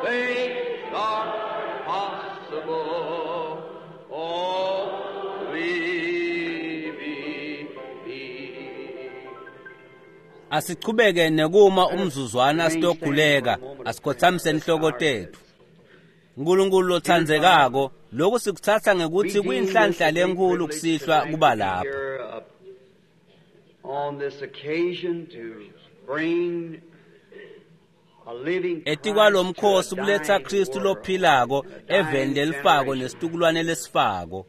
things are possible. Only believe. Asichubeke nekuma umzuzwana sitokhuleka, asikhothamise inhloko tethu. Nkulunkulu lotsandzekako, lokhu sikuthatha ngekuthi kuyinhlanhla lenkulu kusihlwa kuba lapha. On this occasion to bring a living Etikwalomkhosi kuletha Kristu lophilako eveni lelifako nesitukulwane lesifako.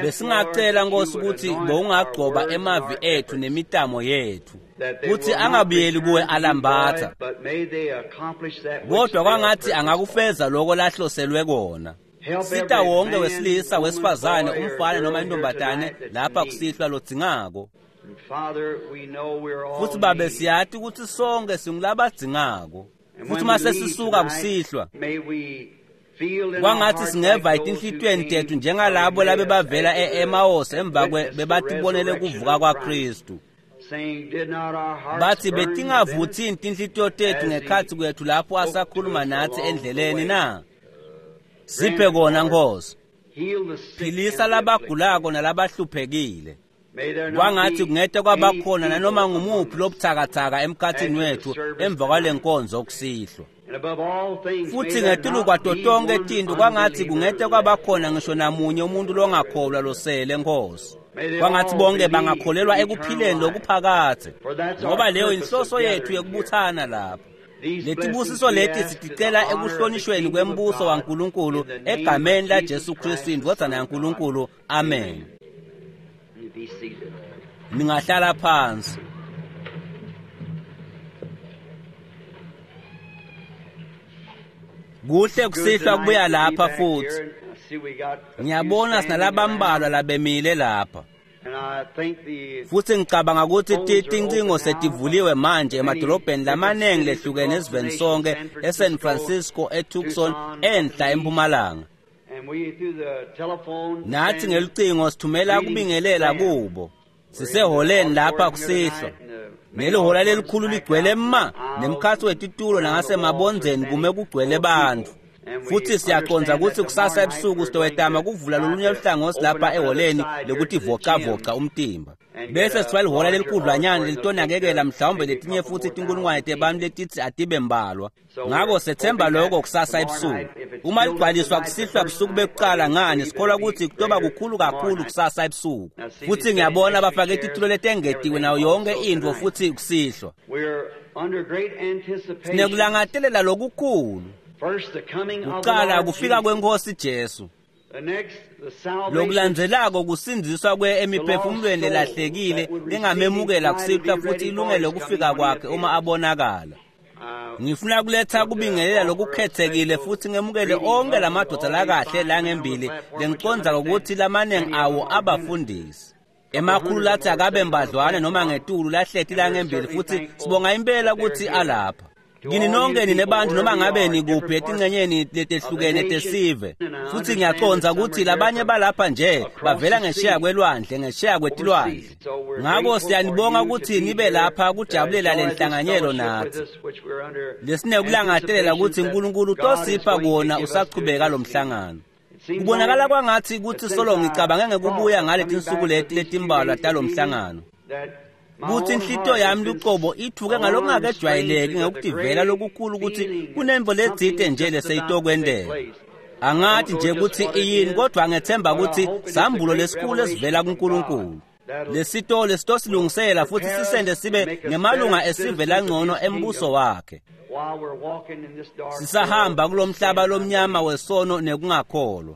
Besingacela Nkosi ukuthi bowungagcoba emavi ethu nemitamo yethu, kuthi angabuyeli kuwe alambatha, kodwa kwangathi angakufeza lokho lahloselwe kona. Sita wonke wesilisa, wesifazane, umfana noma intombatane lapha kusihlwa lodzingako. Futhi babe siyati ukuthi sonke singulabadzingako. Futhi uma sesisuka kusihlwa, kwangathi singeva etinhlitiyweni tethu njengalabo labebavela e-Emmaus emva bebatibonele kuvuka kwaKristu. Bathi betingavuthi tinhlitiyo tethu ngekhatsi kwethu lapho asakhuluma nathi endleleni na? Siphe kona Nkosi. Philisa labagulako nalabahluphekile. Kwangathi kungete kwabakhona nanoma ngumuphi lobuthakathaka emkhathini wethu emva kwale nkonzo kusihlwa. Futhi ngetulu kwato tonke tinto kwangathi kungete kwabakhona ngisho namunye umuntu longakholwa losele Nkosi. Kwangathi bonke bangakholelwa ekuphileni lokuphakadze, ngoba leyo inhloso yethu yekubuthana lapha. Letibusiso leti siticela ekuhlonishweni kwembuso waNkulunkulu egameni la Jesu Kristu indvodzana yaNkulunkulu. Amen. Ningahlala phansi. Kuhle kusihlwa kubuya lapha futhi. Ngiyabona sinalabambalwa labemile lapha. Futhi ngicabanga ukuthi tincingo setivuliwe manje emadolobheni lamanengi lehlukene esiveni sonke, eSan Francisco, eTucson, enhla eMpumalanga. Nathi ngelucingo sithumela kubingelela kubo. Siseholeni lapha kusihlwa. Nelihola lelikhulu ligcwele ma, nemkhatsi wetitulo nangasemabondzeni kume kugcwele bantfu. Futhi siyaqonda ukuthi kusasa ebusuku sitowetama kuvula lolunye luhlangothi lapha eholeni lokutivocavoca umtimba. Bese sithiwa lihola lelikhudlwanyana lelitonakekela mhlawumbe letinye futhi tinkulungwane tebantfu letithi atibe mbalwa. Ngako sethemba lokho kusasa ebusuku. Uma ligcwaliswa kusihlwa busuku bekuqala ngani sikholwa ukuthi kutoba kukhulu kakhulu kusasa ebusuku. Futhi ngiyabona bafake titulo letengetiwe nayo yonke intfo futhi kusihlwa. Sinekulangatelela lokukhulu. Kuqala kufika kwenkosi Jesu. Lokulandzelako kusindziswa kwe emiphefumulweni lelahlekile lengamemukela kusihlwa futhi ilungele ukufika kwakhe uma abonakala. Ngifuna kuletha kubingelela lokukhethekile futhi ngemukele onke lamadoda lakahle langembili lengicondzako ukuthi lamanengi awo abafundisi. Emakhulu lathi akabe mbadlwane noma ngetulu lahleti langembili futhi sibonga impela ukuthi alapha. Kini nonke ninebantu noma ngabe nikuphi etincenyeni letehlukene tesive. Futhi ngiyacondza ukuthi labanye balapha nje bavela ngesheya kwelwandle, ngesheya kwetilwandle. Ngako siyanibonga ukuthi nibe lapha kujabulela le nhlanganyelo nathi. Lesinekulangadelela ukuthi uNkulunkulu utosipha kona usachubeka lo mhlangano. Kubonakala kwangathi ukuthi solo ngicabange ngekubuya ngale tinsuku leti letimbalwa talo mhlangano. Kuthi inhlitiyo yami lucobo ithuke ngalokungakejwayeleki ngekutivela lokukhulu ukuthi kunemvo letsite nje leseyitokwenteka. Angathi nje ukuthi iyini, kodwa ngethemba ukuthi sambulo lesikhulu esivela kuNkulunkulu. Lesitolo lesitosilungisela futhi sisende sibe ngemalunga esive langcono embuso wakhe. Sisahamba kulomhlaba lomnyama wesono nekungakholwa.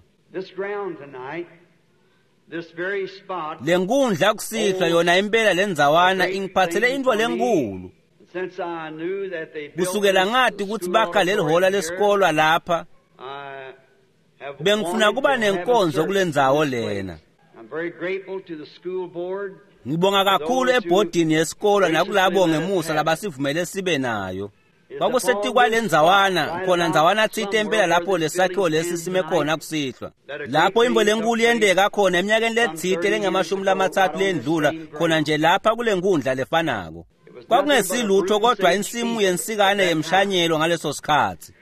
Lenkundla kusihlwa yona impela lendzawana ingiphathele intfo lenkulu. Kusukela ngati ukuthi bakha lelihola lesikolwa lapha, bengifuna kuba nenkonzo kulendzawo lena. Ngibonga kakhulu ebhodini yesikolwa nakulabo ngemusa labasivumele sibe nayo. Kwakusetikwa lendzawana khona ndzawana tsite impela lapho lesakhiwo lesi sime khona kusihlwa. Lapho imvo lenkulu yenteka khona eminyakeni letsite lengamashumi-lathathu lendlula khona nje lapha kule nkundla lefanako. Kwakungesilutho kodwa insimu yensikane yemshanyelo ngaleso sikhatsi.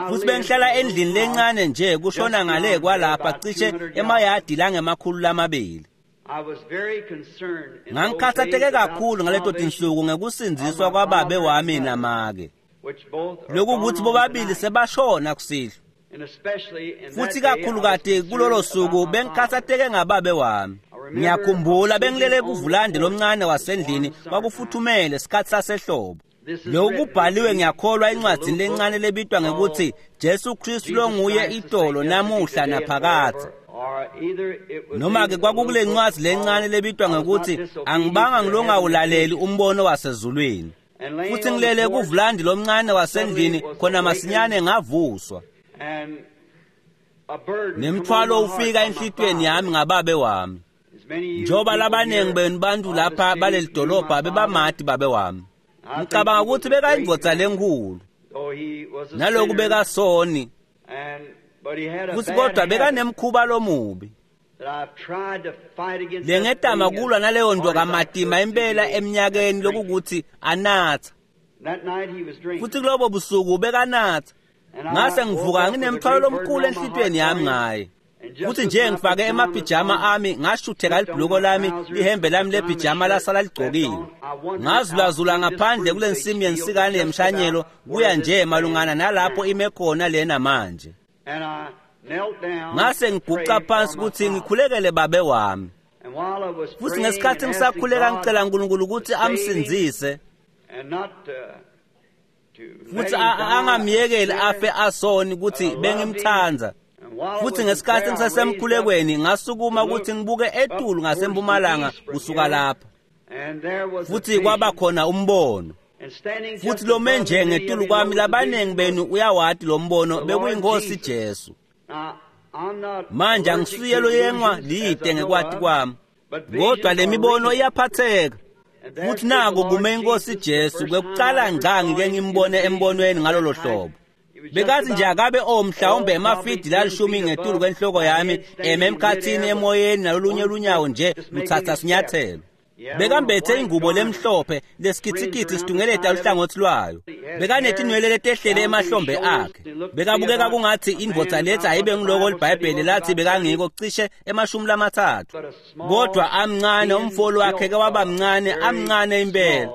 Futhi bengihlala endlini lencane nje kushona ngale kwalapha cishe emayadi langama-200. Ngangikhathatheke kakhulu ngaleto tinsuku ngekusindziswa kwababe wami namake. Lokhu kuthi bobabili sebashona kusihlwa. Futhi kakhulukati kulolo suku bengikhathatheke ngababe wami. Ngiyakhumbula bengilele kuvulande lomncane wasendlini kwakufuthumele sikhathi sasehlobo. Lokhu kubhaliwe ngiyakholwa encwadzini lencane lebitwa ngekuthi Jesu Kristu longuye itolo namuhla naphakadze. Noma-ke kwakukule ncwadzi lencane lebitwa ngekuthi angibanga ngilongawulaleli umbono wasezulwini. Futhi ngilele kuvulandi lomncane wasendlini khona masinyane ngavuswa. Nemthwalo ufika enhlitiyweni yami ngababe wami. Njengoba labaningi benu bantu lapha baleli dolobha bebamati babe wami. Ngicabanga ukuthi bekayindvodza lenkulu. Naloku bekasoni. Futhi kodwa bekanemkhuba lomubi. Lengetama kulwa naleyo nto kamatima impela eminyakeni lokukuthi anatha. Futhi kulobo busuku bekanatha. Ngase ngivuka nginemthwalo lomkhulu enhlitiyweni yami ngaye. Futhi nje ngifake emapijama ami ngashutheka libhuluko lami lihembe lami lepijama lasala ligcokile. Ngazulazula ngaphandle kule nsimu yensikane yemshanyelo kuya nje malungana nalapho ime khona lena manje. Ngase ngiguqa phansi ukuthi ngikhulekele babe wami. Futhi ngesikhathi ngisakhuleka ngicela uNkulunkulu ukuthi amsindzise futhi angamyekeli afe asoni ukuthi bengimthanda. Futhi ngesikhathi ngisasemkhulekweni ngasukuma ukuthi ngibuke etulu ngasempumalanga kusuka lapha. Futhi kwaba khona umbono. Futhi lome nje ngetulu kwami labaningi benu uyawati lo mbono bekuyinkosi Jesu. Manje angisuye loyengwa lide ngekwati kwami. Kodwa le mibono iyaphatheka. Futhi nako kume inkosi Jesu kwekucala ngca ngike ngimbone embonweni ngalolo hlobo. Bekathi nje akabe mhlawumbe emafidi lalishumi ngetulu kwenhloko yami eme emkhathini emoyeni nalolunye lunyawo nje luthatha sinyathelo. Bekambethe ingubo lemhlophe lesikithikithi situngeleta luhlangothi lwayo. Bekanetinwele letehlele emahlombe akhe. Bekabukeka kungathi indvodza lethi ayibe ngiloko liBhayibheli lathi bekangiko cishe 30. Kodwa amncane umfolo wakhe ke waba mncane amncane impela.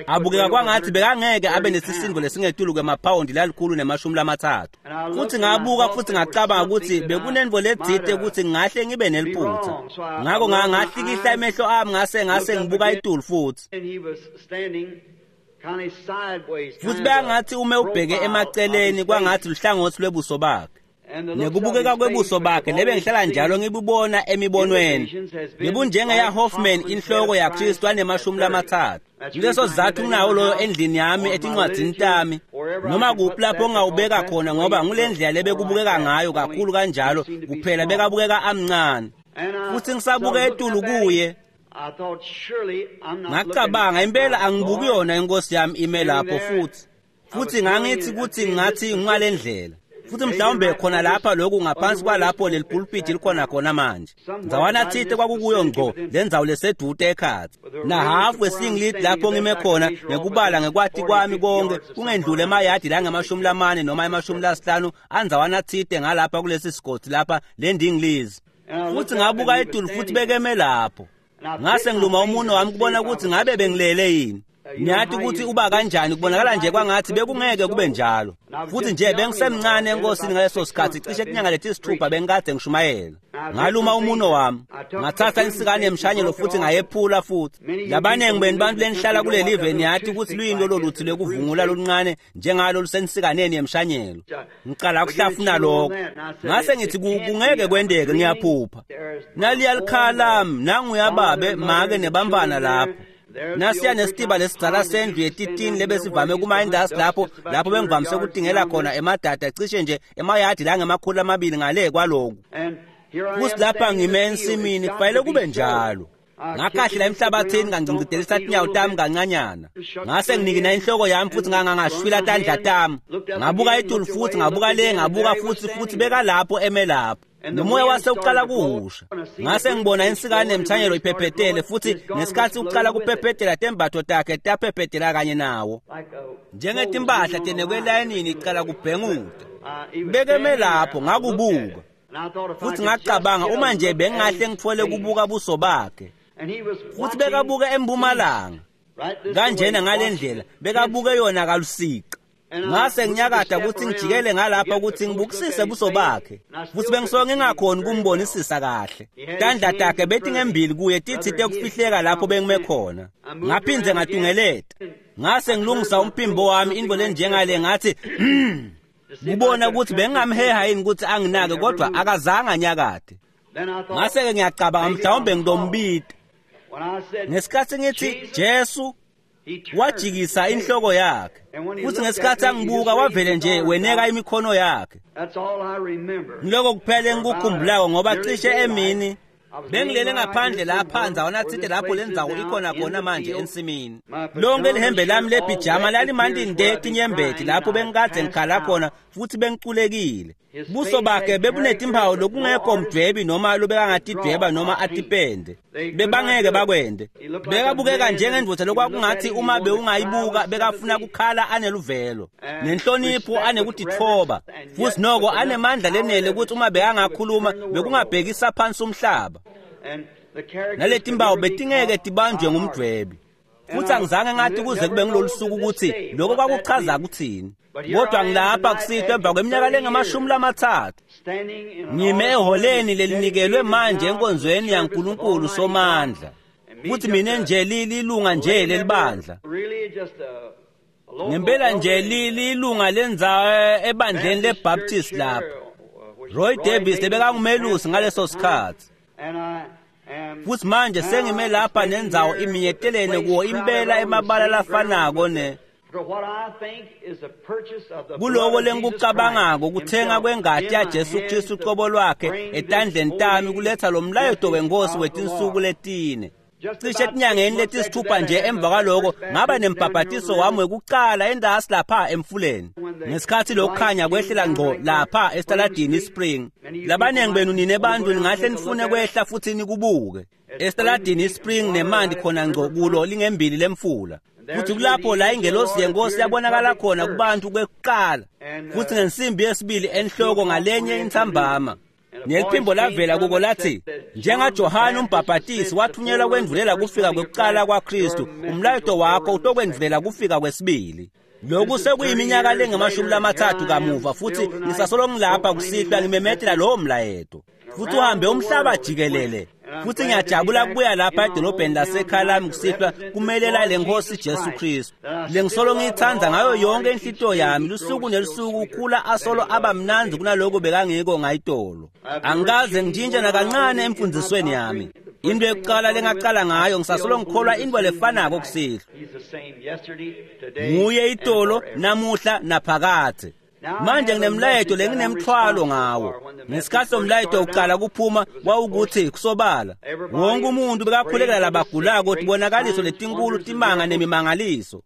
Abukeka kwangathi bekangeke abe nesisindo lesingetulu kwemaphawundi 130. Futhi ngabuka futhi ngacabanga ukuthi bekunento letsite ukuthi ngahle ngibe neliphutha. Ngakho ngahlikihla emehlo ami ngase ngibuka itulu futhi. Futhi bekangathi ume ubheke emaceleni kwangathi luhlangothi lwebuso bakhe. Nekubukeka kwebuso bakhe lebe ngihlala njalo ngibubona emibonweni. Bebunjengeya Hoffman inhloko yaKristu ane-30. Kuleso sizathu nginawo loyo endlini yami etincwadzini tami noma kuphi lapho ngingawubeka khona ngoba ngule ndlela lebekubukeka ngayo kakhulu kanjalo kuphela bekabukeka amncane. Futhi ngisabuka etulu kuye ngacabanga impela angibuki yona inkosi yami ime lapho futhi. Futhi ngangithi ukuthi ngathi ngale ndlela. Futhi mhlawumbe khona lapha lokhu ngaphansi kwalapho leli pulpit likhona khona manje. Ndzawana thite kwakukuyo ngco lendzawo lesedude ekhatsi. Na hafu wesingiliti lapho ngime khona ngekubala ngekwati kwami konke kungendlule emayadi langama-40 noma ema-50 andzawana thite ngalapha kulesi sigodi lapha lendingilizi. Futhi ngabuka etulu futhi bekeme lapho. Ngase ngiluma umuno wami kubona ukuthi ngabe bengilele yini. Niyathi ukuthi uba kanjani kubonakala nje kwangathi bekungeke kube njalo. Futhi nje bengisemncane enkosini ngaleso sikhathi cishe kunyanga leti-6 bengikade ngishumayela. Ngaluma umuno wami, ngathatha insikane yemshanyelo futhi ngayephula futhi. Labaningi benu bantu lenihlala kuleli live niyathi ukuthi luyini lolo luthi lokuvungula loluncane njengalo lusensikaneni yemshanyelo. Ngicala ukuhlafuna lokho. Ngase ngithi kungeke kwendeke ngiyaphupha. Naliya likhala lami nanguyababe make nebamfana lapho. Nasiya nesitiba lesidzala sendlu yetitini lebesivame kuma-industry lapho bengivamise ukutingela khona emadada cishe nje emayadi langama-200 ngale kwaloku. Futhi lapha ngime ensimini kufanele kube njalo. Ngakhahlela emhlabathini ngangcingcidelisa tinyawo tami kancanyana. Ngase nginikina inhloko yami futhi ngangangashwila tandla tami. Ngabuka etulu futhi ngabuka le ngabuka futhi bekalapho eme lapho. Nomoya wase uqala kuhusha. Ngase ngibona insikane emthanyelo iphephetele futhi ngesikhathi uqala kuphephetela tembatho takhe taphephetela kanye nawo. Njengetimpahla tenekwe elayinini iqala kubhenguda. Bekeme lapho ngakubuka. Futhi ngacabanga uma nje bengahle ngithole kubuka buso bakhe. Futhi bekabuka empumalanga. Kanjena ngalendlela bekabuke yona kalusiqa. Ngase nginyakada ukuthi ngijikele ngalapha ukuthi ngibukisise buso bakhe. Futhi bengisuke ngingakhoni kumbonisisa kahle. Tandla takhe bethi ngembili kuye tithite kufihleka lapho bengime khona. Ngaphindze ngatungeleta. Ngase ngilungisa umphimbo wami into lenjengale ngathi kubona ukuthi bengingamheha yini ukuthi anginake kodwa akazange anyakade. Ngase-ke ngiyacabanga mhlawumbe ngitombita. Ngesikhathi ngithi Jesu, wajikisa inhloko yakhe. Futhi ngesikhathi angibuka wavele nje weneka imikhono yakhe. Ngiloko kuphela engikukhumbulako ngoba cishe emini bengilele ngaphandle lapha ndzawana tsite lapho lendzawo ikhona khona manje ensimini. Lonke lihembe lami lepijama lalimandi nde tinyembeti lapho bengikade ngikhala khona futhi bengiculekile. Buso bakhe bebunetimpawu lokungekho mdwebi noma lobekangatidweba noma atipende. Bebangeke bakwende. Bekabukeka njengendvodza lokwakungathi uma bewungayibuka bekafuna kukhala aneluvelo nenhlonipho anekutitfoba futhi noko anemandla lenele ukuthi uma bekangakhuluma bekungabhekisa phansi umhlaba. Naletimpawu betingeke tibanjwe ngumdwebi. Futhi angizange ngathi kuze kube ngilolu suku ukuthi lokho kwakuchaza kuthini. Kodwa ngilapha kusihlwa emva kweminyaka lengamashumi-30. Ngime eholeni lelinikelwe manje enkonzweni yaNkulunkulu Somandla. Futhi mina nje lilunga nje lelibandla. Ngempela nje lilunga lendzawo ebandleni leBaptist lapha. Roy Davis bekangumelusi ngaleso sikhathi. Futhi manje sengime lapha nendzawo iminyetelene kuwo impela emabala lafanako ne kuloko lengikucabangako kuthenga kwengati yaJesu Kristu uqobo lwakhe etandleni tami kuletha lo mlayeto wenkosi wetinsuku letine. Cishe etinyangeni letisithupha nje emva kwaloko ngaba nembhabhatiso wami wekucala endasi lapha emfuleni. Ngesikhathi lokukhanya kwehlela ngqo lapha esitaladini iSpring. Labaningi benu nine bantu ningahle nifune kwehla futhi nikubuke. Esitaladini iSpring nemanti khona ngqo kulo lingembili lemfula. Futhi kulapho la ingelosi yenkosi yabonakala khona kubantu kwekuqala. Futhi ngensimbi yesibili enhloko ngalenye intsambama. Neliphimbo lavela kuko lathi njengaJohane umbhabhatisi wathunyelwa kwendvulela kufika kwekuqala kwaKristu, umlayeto wakho utokwendvulela kufika kwesibili. Lokhu sekuyiminyaka lengamashumi-30 kamuva futhi ngisasolo ngilapha kusihlwa ngimemetela lowo mlayeto. Futhi uhambe umhlaba jikelele. Futhi ngiyajabula kubuya lapha edolobheni lasekhaya lami kusihlwa kumelela le Nkosi Jesu Kristu. Lengisolo ngiyithanda ngayo yonke inhlitiyo yami lusuku nelusuku ukhula asolo aba mnandzi kunaloko bekangiko ngayitolo. Angikaze ngishintshe nakancane emfundisweni yami. Into yokuqala lengaqala ngayo ngisasolo ngikholwa into lefanako kusihlwa. Nguye itolo namuhla naphakadze. Manje nginemlayeto lenginemthwalo ngawo. Ngesikhathi somlayeto uqala kuphuma wawukuthi kusobala wonke umuntu bekakhulekela labagulako tibonakaliso letinkulu timanga nemimangaliso.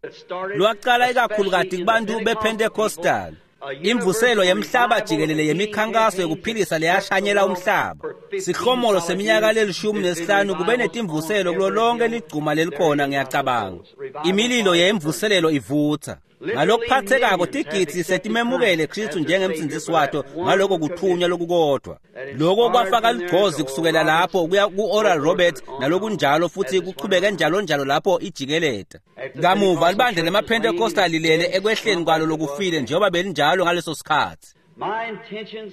Lwaqala ikakhulukati kubantu bePentecostal. Imvuselo yemhlaba jikelele yemikhankaso yokuphilisa leyashanyela umhlaba. Sihlomolo seminyaka lelishumi-nesihlanu kube netimvuselo kulo lonke ligcuma lelikhona ngiyacabanga. Imililo yemvuselelo ivutha. Ngalokuphathekako tigidzi setimemukele Kristu njengemsindzisi wato ngaloko kuthunywa lokukodwa. Lokho kwafaka ligcozi kusukela lapho kuya ku-Oral Roberts nalokunjalo futhi kuchubeke njalo njalo lapho ijikeleta. Kamuva libandla lemaPentecostal lilele ekwehleni kwalo lokufile njengoba belinjalo ngaleso sikhathi.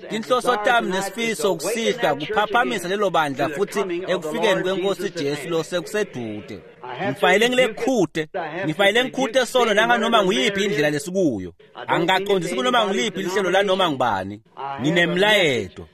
Tinhloso tami nesifiso kusihlwa kuphaphamisa lelo bandla futhi ekufikeni kwenkosi Jesu lo sekusedude. Ngifanele ngilekhute, ngifanele ngikhute solo nanganoma nguyiphi indlela lesikuyo. Angikaqondisi kunoma ngiliphi lihlelo lanoma ngubani. Nginemlayeto.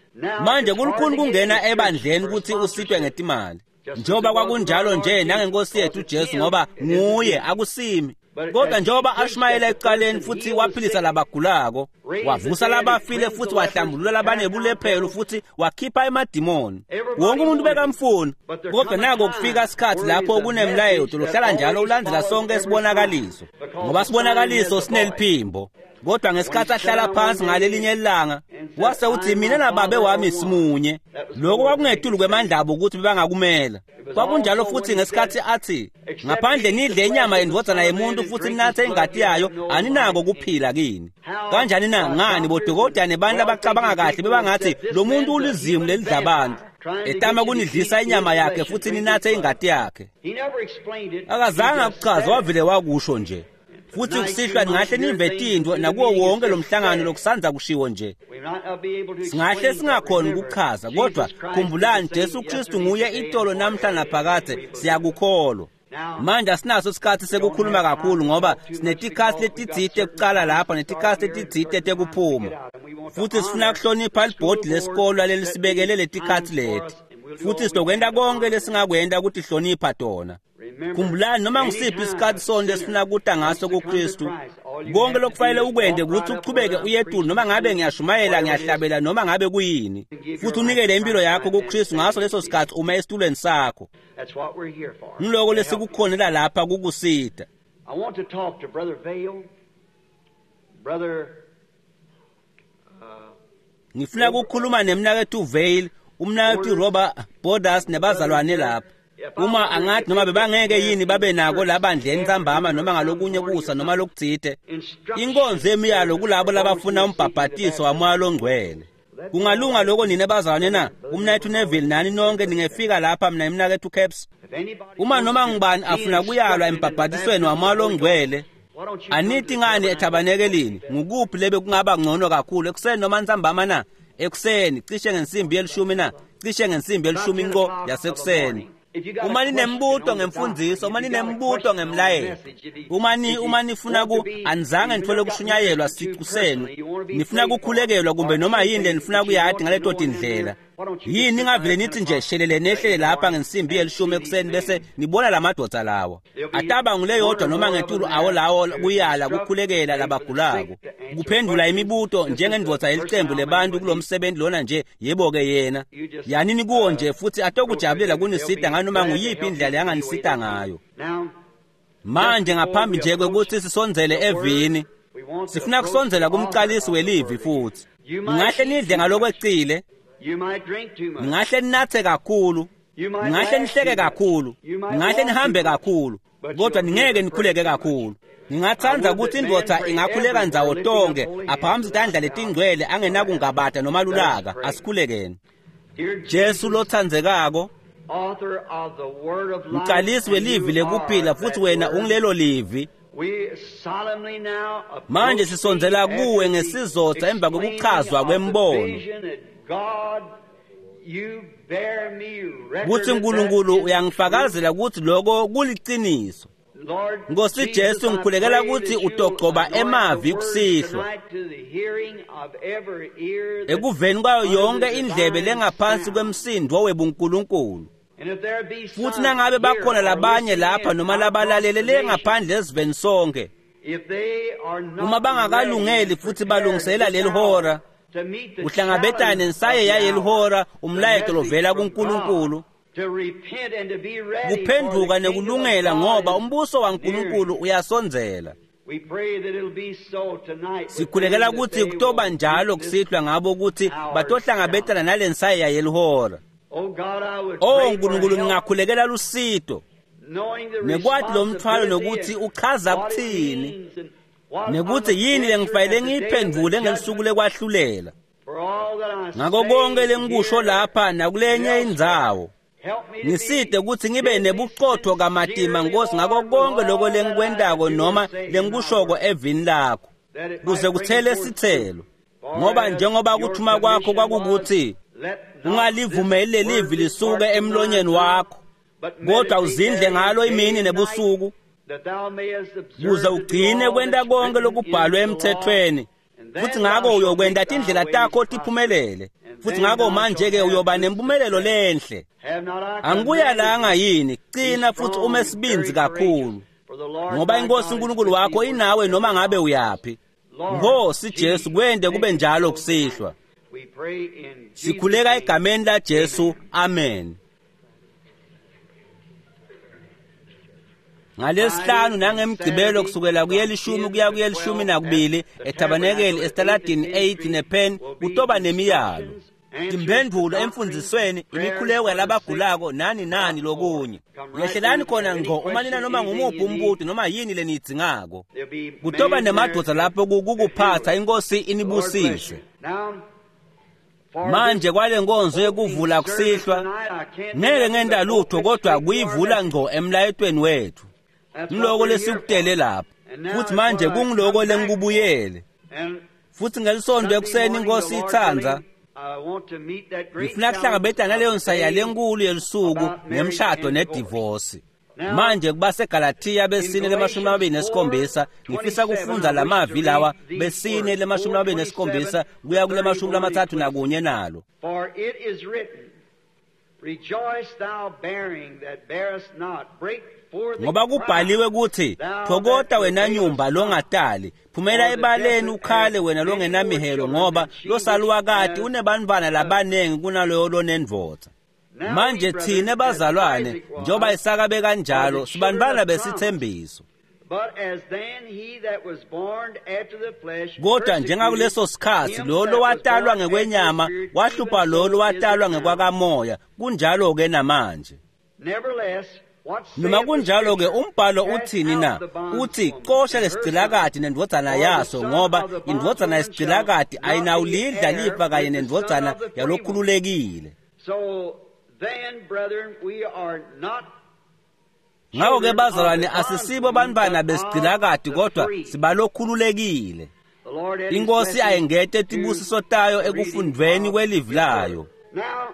Manje kulukhuni kungena ebandleni ukuthi usitwe ngetimali. Njengoba kwakunjalo nje nangenkosi yethu Jesu ngoba nguye akusimi. Kodwa njengoba ashumayela ekuqaleni futhi waphilisa labagulako, wavusa labafile futhi wahlambulula labanebulephelo futhi wakhipha emadimoni. Wonke umuntu bekamfuna. Kodwa nako kufika isikhathi lapho kunemlayeto lohlala njalo ulandzela sonke isibonakaliso. Ngoba sibonakaliso sineliphimbo. Kodwa ngesikhathi ahlala phansi ngalelinye ilanga, wase uthi mina nababe wami simunye. Lokho kwakungetulu kwemandlabo ukuthi bebangakumela. Kwakunjalo futhi ngesikhathi athi, ngaphandle nidle inyama yendvodzana yemuntu futhi ninathe ingati yayo, aninako kuphila kini. Kanjani na? Ngani bodokotela nebantu abacabanga kahle bebangathi lo muntu ulizimu lelidla abantu, etama kunidlisa inyama yakhe futhi ninathe ingati yakhe. Akazange akuchaze, wavele wakusho nje. Futhi kusihlwa ningahle nive tintfo nakuwo wonke lo mhlangano lokusanza kushiwo nje. Singahle singakhoni ukuchaza, kodwa khumbulani Jesu Kristu nguye itolo namhla naphakade, siyakukholwa. Manje asinaso isikhathi sekukhuluma kakhulu ngoba sinetikhathi letitsite kucala lapha netikhathi letitsite tekuphuma. Futhi sifuna kuhlonipha libhodi lesikolo lelisibekele letikhathi leti. Futhi sizokwenta konke lesingakwenta ukuthi hlonipha tona. Khumbulani noma ngisiphi isikhathi sonke esifuna kuta ngaso kuKristu, konke lokufanele ukwente ukuthi uchubeke uyetulu, noma ngabe ngiyashumayela, ngiyahlabela, noma ngabe kuyini, futhi unikele impilo yakho kuKristu ngaso leso sikhathi uma esitulweni sakho. Ngiloko lesikukhonela lapha kukusita. I want to talk to Brother Vayle, Brother Ngifuna ukukhuluma nemnakethu Vayle, umnakethu Robert Borders nebazalwane lapha. Uma angathi noma bebangeke yini babe nako labandleni ntsambama noma ngalokunye kusa noma lokutsite, inkonzo yemiyalo kulabo labafuna umbhabhatiso wamoya longcwele. Kungalunga lokho nina bazalwane na? Umnakethu Neville nani nonke ningefika lapha, mina emnakethu Caps. Uma noma ngubani afuna kuyalwa embhabhatisweni wamoya longcwele, anithi ngani ethabanekelini? Ngukuphi lebe kungaba ngcono kakhulu, ekuseni noma ntsambama na? Ekuseni cishe ngensimbi yelishumi na? Cishe ngensimbi yelishumi nqo yasekuseni. Uma ninembuto ngemfundiso, uma ninembuto ngemlayelo, uma nifuna ku anizange nithole kushunyayelwa siqu senu, nifuna kukhulekelwa kumbe noma yini lenifuna kuyadi ngaleto tindlela, yini ningavele nithi nje shelele nehlele lapha ngensimbi yelishumi ekuseni bese nibona lamadoda lawa. Ataba nguleyodwa noma ngetulu awo lawo kuyala kukhulekela labagulako, kuphendula imibuto njengendvodza yelicembu lebantu kulomsebenzi lona nje, yebo-ke yena. Yanini kuwo nje futhi atokujabulela kunisita nganoma nguyiphi indlela yanganisita ngayo. Manje ngaphambi nje kwekuthi sisondzele evini, sifuna kusondzela kumcalisi welivi futhi. Ningahle nidle ngalokwecile, ningahle ninathe kakhulu, ningahle nihleke kakhulu, ningahle nihambe kakhulu, kodwa ningeke nikhuleke kakhulu. Ngingathanda ukuthi indvodza ingakhuleka ndzawo tonke, aphakamise tandla letingcwele angenakungabata noma lulaka. Asikhulekeni. Jesu lothandzekako, mcalisi welivi lekuphila, futhi wena ungilelo livi. Manje sisondzela kuwe ngesizotha emva kokuchazwa kwembono kutsi uNkulunkulu uyangifakazela ukuthi lokho kuliciniso. Nkosi Jesu, ngikhulekela ukuthi utogcoba emavi kusihlwa ekuveni kwayo yonke indlebe lengaphansi kwemsindo webuNkulunkulu. Futhi nangabe bakhona labanye lapha noma labalalele lengaphandle esiveni sonke, uma bangakalungeli futhi balungisela leli hora kuhlangabetana nensaye yaleli hora, umlayeto lovela kuNkulunkulu, kuphenduka nekulungela, ngoba umbuso waNkulunkulu uyasondzela. Sikhulekela ukuthi kutoba njalo kusihlwa ngabo ukuthi batohlangabetana nalensayeya yelihora. Oh Nkulunkulu, ngingakhulekela lusito nekwati lo mthwalo nokuthi uchaza kuthini, nekuthi yini lengifanele ngiyiphendvule ngelisuku lekwahlulela. Ngako konke lengikusho lapha nakulenye indzawo, ngiside ukuthi ngibe nebuqotho kamatima Nkosi ngako konke lokho lengikwentako noma lengikushoko evini lakho, kuze kuthele sithelo. Ngoba njengoba kuthuma kwakho kwakukuthi ungalivumeli lelivi lisuke emlonyeni wakho, kodwa uzindle ngalo imini nebusuku, kuze ugcine kwenta konke lokubhalwe emthethweni, futhi ngako uyokwenta tindlela takho tiphumelele, futhi ngako manje-ke uyoba nempumelelo lenhle. Angikuyalanga yini? Qina futhi ume sibindzi kakhulu, ngoba inkosi uNkulunkulu wakho inawe noma ngabe uyaphi. Nkosi Jesu, kwente kube njalo kusihlwa. Sikhuleka egameni la Jesu, amen. Ngalesihlanu nangemgcibelo kusukela kuyelishumi kuya kuyelishumi nakubili etabanekeli esitaladini 8 nePen kutoba nemiyalo, timphendvulo emfundzisweni, imikhuleko yalabagulako nani nani lokunye. Yehlelani khona ngco uma nina noma ngumuphi umbuto noma yini leniyidzingako. Kutoba nemadvodza lapho kukuphatsa. Inkosi inibusise. Manje kwale nkonzo yekuvula kusihlwa ngeke ngenta lutho kodwa kuyivula ngco emlayetweni wethu. Ngiloko lesikutele lapha futhi manje kungiloko lengikubuyele futhi ngelisonto ekuseni inkosi itsandza ngifuna kuhlangabetana naleyo nsaya lenkulu yelusuku ngemshado nedivosi. Manje kubaseGalathiya besine lemashumi amabili nesikhombisa ngifisa kufundza lamavi lawa besine lemashumi amabili nesikhombisa kuya kulemashumi lamatsatfu nakunye nalo. For it is written, Rejoice thou bearing that bearest not, break forth and Ngoba cry, kubhaliwe kuthi thou thokota that wena travailest nyumba not. longatali, phumela ebaleni ukhale wena longenamihelo, ngoba losaluwakati unebantfwana labanengi kunaloyo lonendvodza. Now Manje we, thine brethren, as bazalwane Isaac was, njengoba Isaka bekanjalo sibantfwana besithembiso. But as then he that was born after the flesh Kodwa njengakuleso sikhathi him lo that was lowatalwa born after the ngekwenyama Spirit, wahlupha even lo so is lowatalwa it now. ngekwakamoya, kunjalo-ke namanje. Nevertheless, what saith Noma the kunjalo-ke Scripture? umbhalo Cast uthini out na? the bondswoman Uthi xosha and her lesigcilakati son, nendvodzana for the yaso, son ngoba of the indvodzana bondswoman yesigcilakati shall not be ayinawulidla heir lifa kanye with the son nendvodzana of the free woman. yalokhululekile. So then, brethren, we are not Ngakho-ke children of bazalwane the asisibo bondswoman, bantfwana but of besigcilakati the kodwa free. sibalokhululekile. The Lord add his Inkosi blessing ayengete to tibusiso tayo the reading ekufundvweni of kwelivi his word. layo. Now,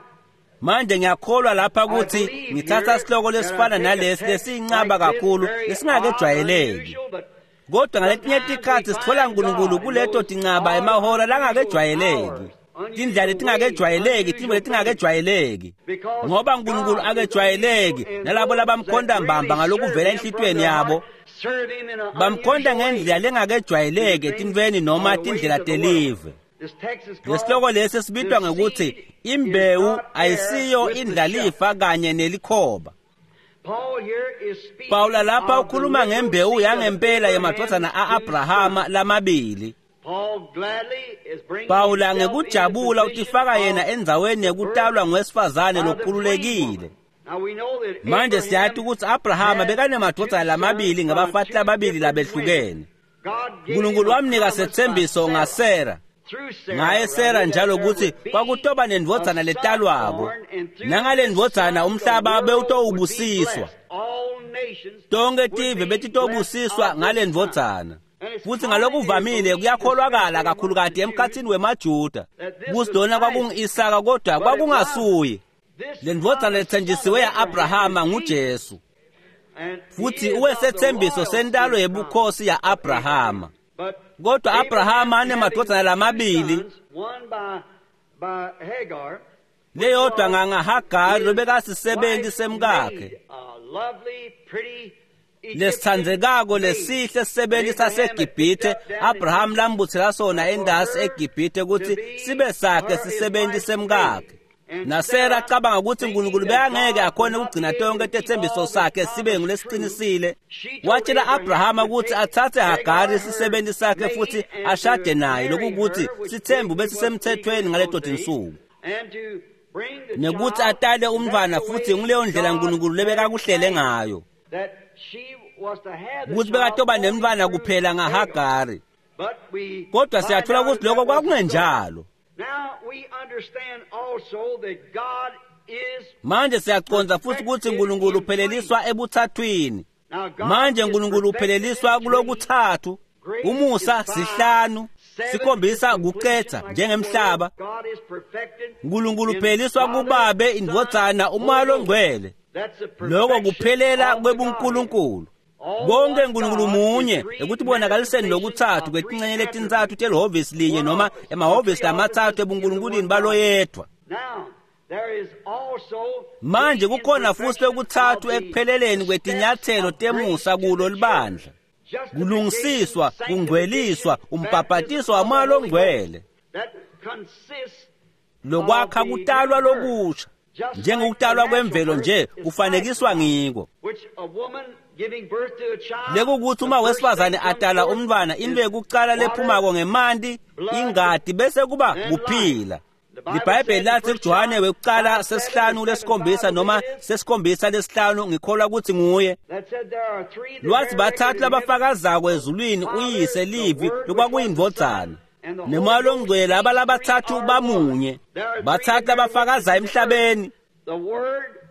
Manje ngiyakholwa lapha I ukuthi believe ngithatha here sihloko that I lesifana take a nalesi text lesiyincaba like this, kakhulu very odd, lesingakejwayeleki. unusual, but Kodwa ngaletinye sometimes we tikhatsi sithola find uNkulunkulu God in kuleto those tincaba odd, emahora unusual langakejwayeleki. hours, Tindlela unusual ways, letingakejwayeleki, tintfo unusual things. letingakejwayeleki. Because Ngoba uNkulunkulu God is akejwayeleki unusual, and nalabo those that labamkhonda mbamba really serve ngalokuvela Him from enhlitiyweni their yabo heart serve Him in an bamkhonda unusual way. ngendlela lengakejwayeleki Through things etintfweni noma or the ways tindlela of the world. telive. This text is Lesihloko called lesi The sibitwa ngekuthi Seed is imbewu Not Heir ayisiyo with the Shuck. indlalifa kanye nelikhoba. Paul here is speaking Pawula lapha of the ukhuluma literal ngembewu seed of yangempela Abraham's yemadvodzana two a-Abrahama sons. lamabili. Paul gladly is bringing Pawula himself into ngekujabula position utifaka yena of endzaweni the birth yekutalwa ngowesifazane by the free lokhululekile. woman. Now we know that Manje siyati Abraham ukuthi Abrahama had two bekanemadvodzana sons lamabili by ngabafati two lababili different women. labehlukene. God gave him uNkulunkulu a wamnika promise by setsembiso Sarah. ngaSara. Through Sarah, Ngaye Sara rather, that njalo there kutsi would be kwakutoba a nendvodzana son letalwako. born, and through Nangale this ndvodzana son the umhlaba world would be bewutowubusiswa. blessed. All nations Tonke would tive be blessed betitobusiswa of ngale this son. ndvodzana. And it's Futhi commonly ngalokuvamile believed, kuyakholwakala especially amongst the kakhulukati Jews, emkhatsini wemaJuda that this kutsi was lona Isaac, kwakungu-Isaka kodwa but it wasn't. kwakungasuye. This Le ndvodzana promised son of letsenjisiwe Abraham is ya-Abrahama Jesus, nguJesu and he futhi is of the uwesethembiso royal sentalo seed yebukhosi promise of ya-Abrahama. Abraham. But Kodwa Abraham Abrahama having anemadvodzana two lamabili, sons, one by Hagar, which leyodwa was ngangaHagari his lobekasisebenti wife's semkakhe maid, a lovely, pretty Egyptian lesitsandzekako maid lesihle that sisebenti Abraham had picked saseGibhithe up down in Abraham Egypt lambutsela sona for endasi her eGibhithe to kutsi be sibe sakhe her his sisebenti wife's maid. semkakhe. And NaSara Sarah, acabanga kutsi thinking uNkulunkulu that bekangeke God would akhone not kugcina be able tonke to keep tetsembiso all this sakhe sibe promise true, ngulesiqinisile, she told watshela Abraham Abrahama to kutsi take atsatse Hagar, Hagari her sisebenti sakhe maid, futsi and ashade to naye, marry lokukuthi her, which sithembu basically was legal besisemthethweni in ngaleto those days, tinsuku, and to bring the nekuthi child. atale And that's umntfwana the futhi way nguleyo ndlela God uNkulunkulu had lebekakuhlele planned ngayo that she was to have the kutsi child bekatoba only nemntfwana through kuphela Hagar. ngaHagari. But we Kodwa find siyathola out kutsi that lokho that wasn't so. kwakungenjalo. Now we understand also that God is Manje siyacondza futhi kutsi perfected uNkulunkulu in three. upheleliswa ebuthathwini. Now God Manje is uNkulunkulu perfected in upheleliswa three. kulokutsatfu. Grace is Umusa 5. sihlanu, 7 is sikhombisa completion, kucetsa like the world. njengemhlaba. God is perfected uNkulunkulu in upheleliswa Father, kubabe, Son, indvodzana, umoya Holy Ghost. longcwele. That's the Lokho perfection kuphelela of the Godhead. kwebunkulunkulu. All Konke one uNkulunkulu God is munye three ekutibonakaliseni manifestations lokutsatfu of three kwetincenye letintsatfu attributes. telihhovisi linye One noma office or emahhovisi three lamatsatfu offices in the ebunkulunkulwini one God. baloyedvwa. Now, there is also Manje the kukhona futhi imperfection of lokutsatfu the ekupheleleni steps kwetinyatselo of grace temusa to kulo the church. libandla. Justification, Kulungisiswa, sanctification, kungcweliswa, baptism umbhabhatiso of the wamoya Holy Ghost. longcwele. That consists of Lokwakha the new kutalwa birth. lokusha. Just like the Njengekutalwa natural kwemvelo birth nje is kufanekiswa typified, ngiko. which a woman Lekukuthi uma wesifazane atala umntwana, into yekucala lephumako ngemanti, ingati, bese kuba kuphila. LiBhayibheli lathi kuJohane wekucala 5:7 noma 7:5, ngikholwa ukuthi nguye. Lwathi bathathu labafakazako ezulwini, uyise, livi lokwakuyindvodzana, nemoya longcwele. Laba labathathu bamunye. Bathathu labafakaza emhlabeni: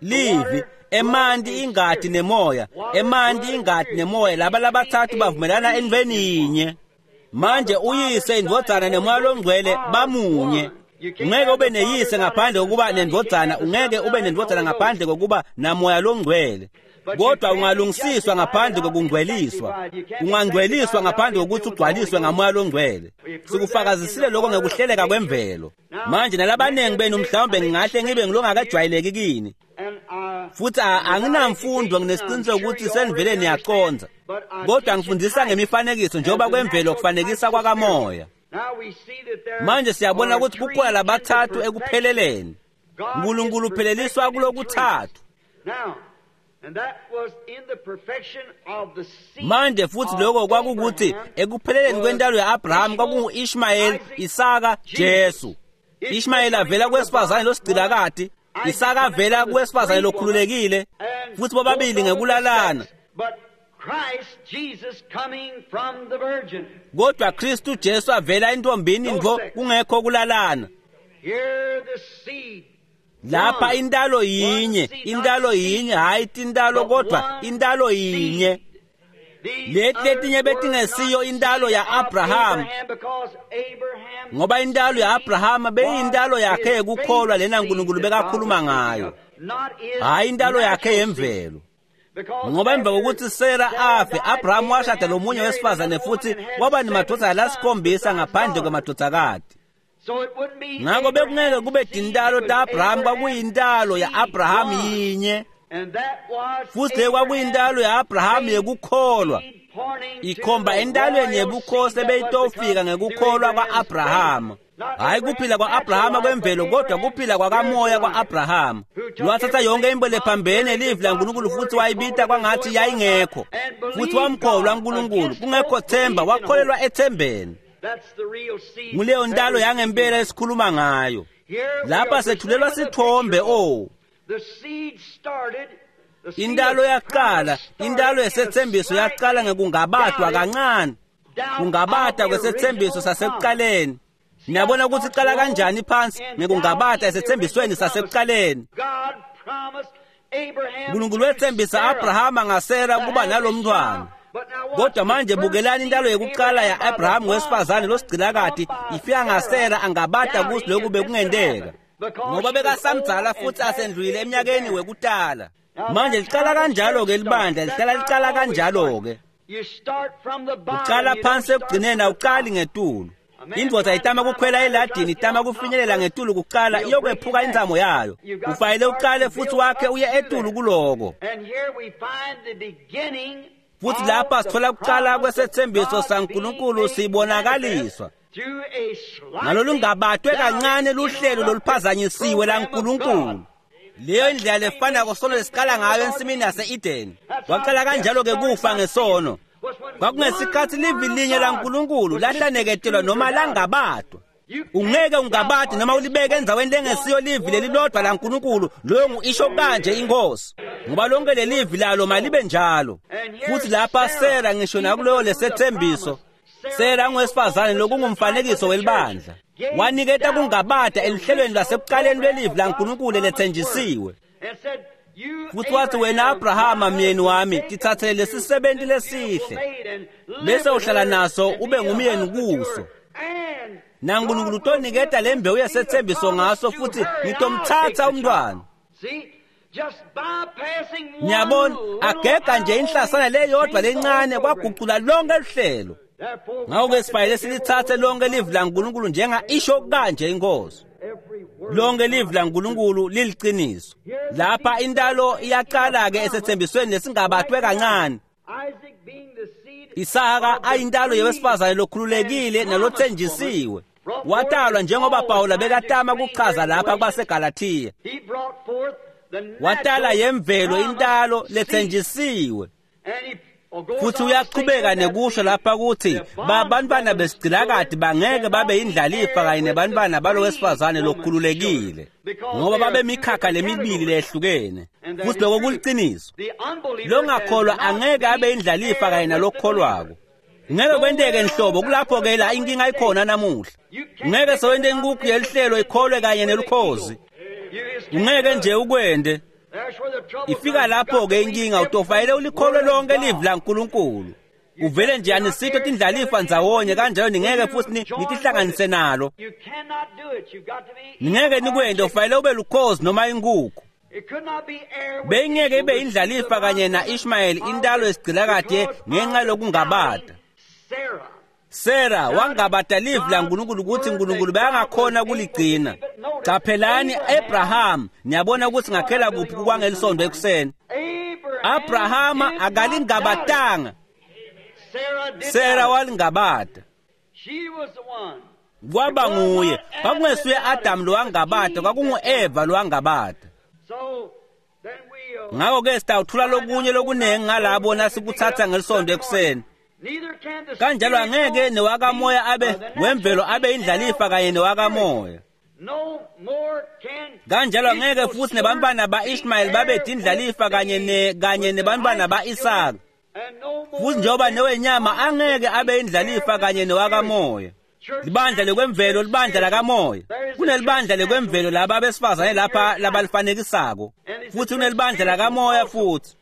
livi, emanti, ingati nemoya. Emanti, ingati nemoya, laba labathathu bavumelana entweni yinye. Manje uyise, indvodzana nemoya longcwele bamunye. Ungeke ube neyise ngaphandle kokuba nendvodzana, ungeke ube nendvodzana ngaphandle kokuba namoya longcwele. Kodwa ungalungisiswa ngaphandle kokungcweliswa, ungangcweliswa ngaphandle kokuthi ugcwaliswe ngamoya longcwele. Sikufakazisile lokho ngekuhleleka kwemvelo. Manje nalabaningi benu mhlawumbe ngingahle ngibe ngilongakajwayeleki kini, futhi anginamfundo, nginesiqiniseko ukuthi senivele niyaconza, kodwa ngifundisa ngemifanekiso njengoba kwemvelo kufanekisa kwakamoya. Manje siyabona ukuthi kukhona labathathu ekupheleleni. uNkulunkulu upheleliswa kulokuthathu. Manje futhi lokho kwakukuthi ekupheleleni kwentalo ya-Abraham kwakungu-Ishmayeli, Isaka, Jesu. Ishmayeli avela kwesifazane losigcilakati, Isaka avela kwesifazane lokhululekile, futhi bobabili ngekulalana. Kodwa Kristu Jesu avela entombini ntfo, kungekho kulalana. Lapha intalo yinye, intalo yinye, hayi tintalo, kodwa intalo yinye. Leti letinye betingesiyo intalo ya-Abraham, ngoba intalo ya-Abraham beyintalo yakhe yekukholwa lena uNkulunkulu bekakhuluma ngayo, hayi intalo yakhe yemvelo. Ngoba emva kokuthi Sara afe, Abraham washada lomunye wesifazane futhi waba nemadvodzana lasikhombisa ngaphandle kwemadvodzakati. Ngakho bekungeke kube tintalo ta-Abraham, kwakuyintalo ya-Abraham yinye, futhi le kwakuyintalo ya-Abraham yekukholwa, ikhomba entalweni yebukhosi ebeyitofika ngekukholwa kwa-Abraham. Hayi kuphila kwa-Abrahama kwemvelo, kodwa kuphila kwakamoya kwa-Abrahama. Lwathatha yonke into lephambene livi laNkulunkulu futhi wayibita kwangathi yayingekho, futhi wamkholwa uNkulunkulu kungekho themba, wakholelwa ethembeni. Nguleyo ntalo yangempela esikhuluma ngayo. Lapha sethulelwa sithombe. O, intalo yaqala, intalo yesethembiso yaqala ngekungabatwa kancane, kungabata kwesethembiso sasekuqaleni. Niyabona ukuthi iqala kanjani phansi ngekungabata esethembisweni sasekuqaleni. uNkulunkulu wethembisa Abrahama ngaSara kuba nalomntwana. Kodwa manje bukelani intalo yekuqala ya-Abraham wesifazane losigcilakati ifika ngaSara, angabata kuthi lokhu bekungenteka, ngoba bekasamdzala futhi asendlulile eminyakeni wekutala. Manje liqala kanjalo-ke libandla, lihlala liqala kanjalo-ke. Uqala phansi ekugcineni, awuqali ngetulu. Indvodza itama kukhwela eladini, itama kufinyelela ngetulu kuqala, iyokwephuka intsamo yayo. Kufanele uqale futhi wakhe uye etulu kuloko. Futhi lapha sithola kuqala kwesethembiso saNkulunkulu sibonakaliswa ngalolungabatwe kancane luhlelo loluphazanyisiwe laNkulunkulu. Leyo indlela lefanako sono lesiqala ngayo ensimini yase-Edeni. Kwaqala kanjalo-ke kufa ngesono. Kwakungesikhathi livi linye laNkulunkulu lahlaneketelwa noma langabatwa. Ungeke ungabadi noma ulibeke endzaweni lengesiyo livi lelilodwa laNkulunkulu, loyo ngu-isho kanje inkosi, ngoba lonke lelivi lalo malibe njalo. Futhi lapha Sara, ngisho nakuleyo lesethembiso, Sara ngowesifazane lokungumfanekiso welibandla, waniketa kungabada eluhlelweni lwasekuqaleni lwelivi laNkulunkulu lethenjisiwe. Futhi wathi, wena Abrahama myeni wami, tithathele lesisebenti lesihle, bese uhlala naso ube ngumyeni kuso, naNkulunkulu utoniketa le mbewu yesethembiso ngaso, futhi ngitomthatha umntwana. Niyabona, agega nje inhlasana leyodwa lencane kwagucula lonke luhlelo. Ngakho-ke sifanele silithathe lonke livi laNkulunkulu njenga isho kanje inkosi. Lonke livi laNkulunkulu liliqiniso. Lapha intalo iyaqala-ke esethembisweni lesingabathwe kancane. Isaka ayintalo yewesifazane lokhululekile nalothenjisiwe. Watalwa njengoba Pawula bekatama kuchaza lapha kubaseGalathiya. Watala yemvelo intalo lethenjisiwe. Futhi uyaqhubeka nekusho lapha ukuthi babantwana besigcilakati bangeke babe indlalifa kanye nebantwana balo wesifazane lokhululekile, ngoba babemikhakha lemibili lehlukene. Futhi lokho kuliciniso. Longakholwa angeke abe indlalifa kanye nalokholwako. Ngeke kwenteke nhlobo. Kulapho ke la inkinga ikhona namuhla. Ngeke sewente inkukhu yelihlelo ikholwe kanye nelukhozi. Ungeke nje ukwende. Ifika lapho ke inkinga, utofayele ulikholwe lonke livi laNkulunkulu. Uvele nje anisitho tindlalifa ndzawonye kanjalo, ningeke futhi nitihlanganise nalo. Ningeke nikwende, ufayele ube lukhozi noma inkukhu. Beyingeke ibe indlalifa kanye na-Ishmayeli, intalo yesigcilakade, ngenxa lokungabata. Sara wangabata livi laNkulunkulu ukuthi uNkulunkulu bekangakhona kuligcina. Qaphelani Abraham, niyabona ukuthi ngakhela kuphi kwangelisonto ekuseni. Abrahama akalingabatanga. Sara walingabata. Kwaba nguye. Kwakungesuye Adam lo wangabata, kwakungu-Eva lo wangabata. Ngakho-ke sitawuthula lokunye lokunengi ngalabo nasikuthatha ngelisonto ekuseni. Kanjalo angeke newakamoya abe wemvelo abe indlalifa kanye newakamoya. Kanjalo angeke futhi nebantwana ba-Ishmayeli babe indlalifa kanye nebantwana ba-Isaka. Futhi njengoba newenyama angeke abe indlalifa kanye newakamoya. Libandla lekwemvelo, libandla lakamoya. Kunelibandla lekwemvelo laba besifazane lapha labalifanekisako, futhi kunelibandla lakamoya futhi.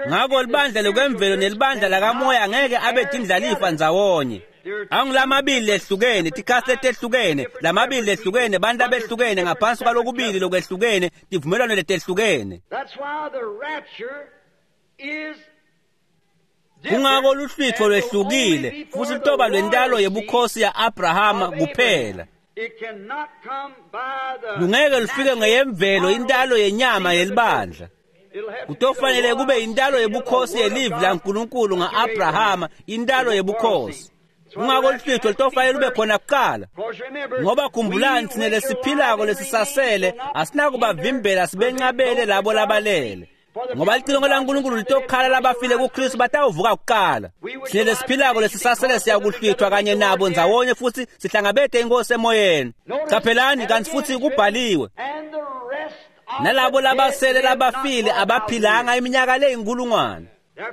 Ngakho libandla lekwemvelo nelibandla lakamoya angeke abe tindlalifa ndzawonye. Angulamabili lehlukene, tikhathi letehlukene, lamabili lehlukene, bantu abehlukene ngaphansi kwalokubili lokwehlukene, tivumelwano letehlukene. Kungako luhlwitho lwehlukile futhi lutoba lwentalo yebukhosi ya-Abrahama kuphela. Lungeke lufike ngeyemvelo intalo yenyama yelibandla. Kutofanele kube intalo yebukhosi yelivi laNkulunkulu nga-Abrahama, intalo yebukhosi. Kungako luhlwitho lutofanele lube khona kuqala. Ngoba khumbulani, thina lesiphilako lesisasele asinakubavimbela sibencabele labo labalele. Ngoba licilongo laNkulunkulu litokhala, labafile kuKristu batawuvuka kuqala. Thina lesiphilako lesisasele siyakuhlwithwa kanye nabo ndzawonye futhi sihlangabete inkosi emoyeni. Qaphelani, kanti futhi kubhaliwe, nalabo labasele labafile abaphilanga iminyaka leyinkulungwane.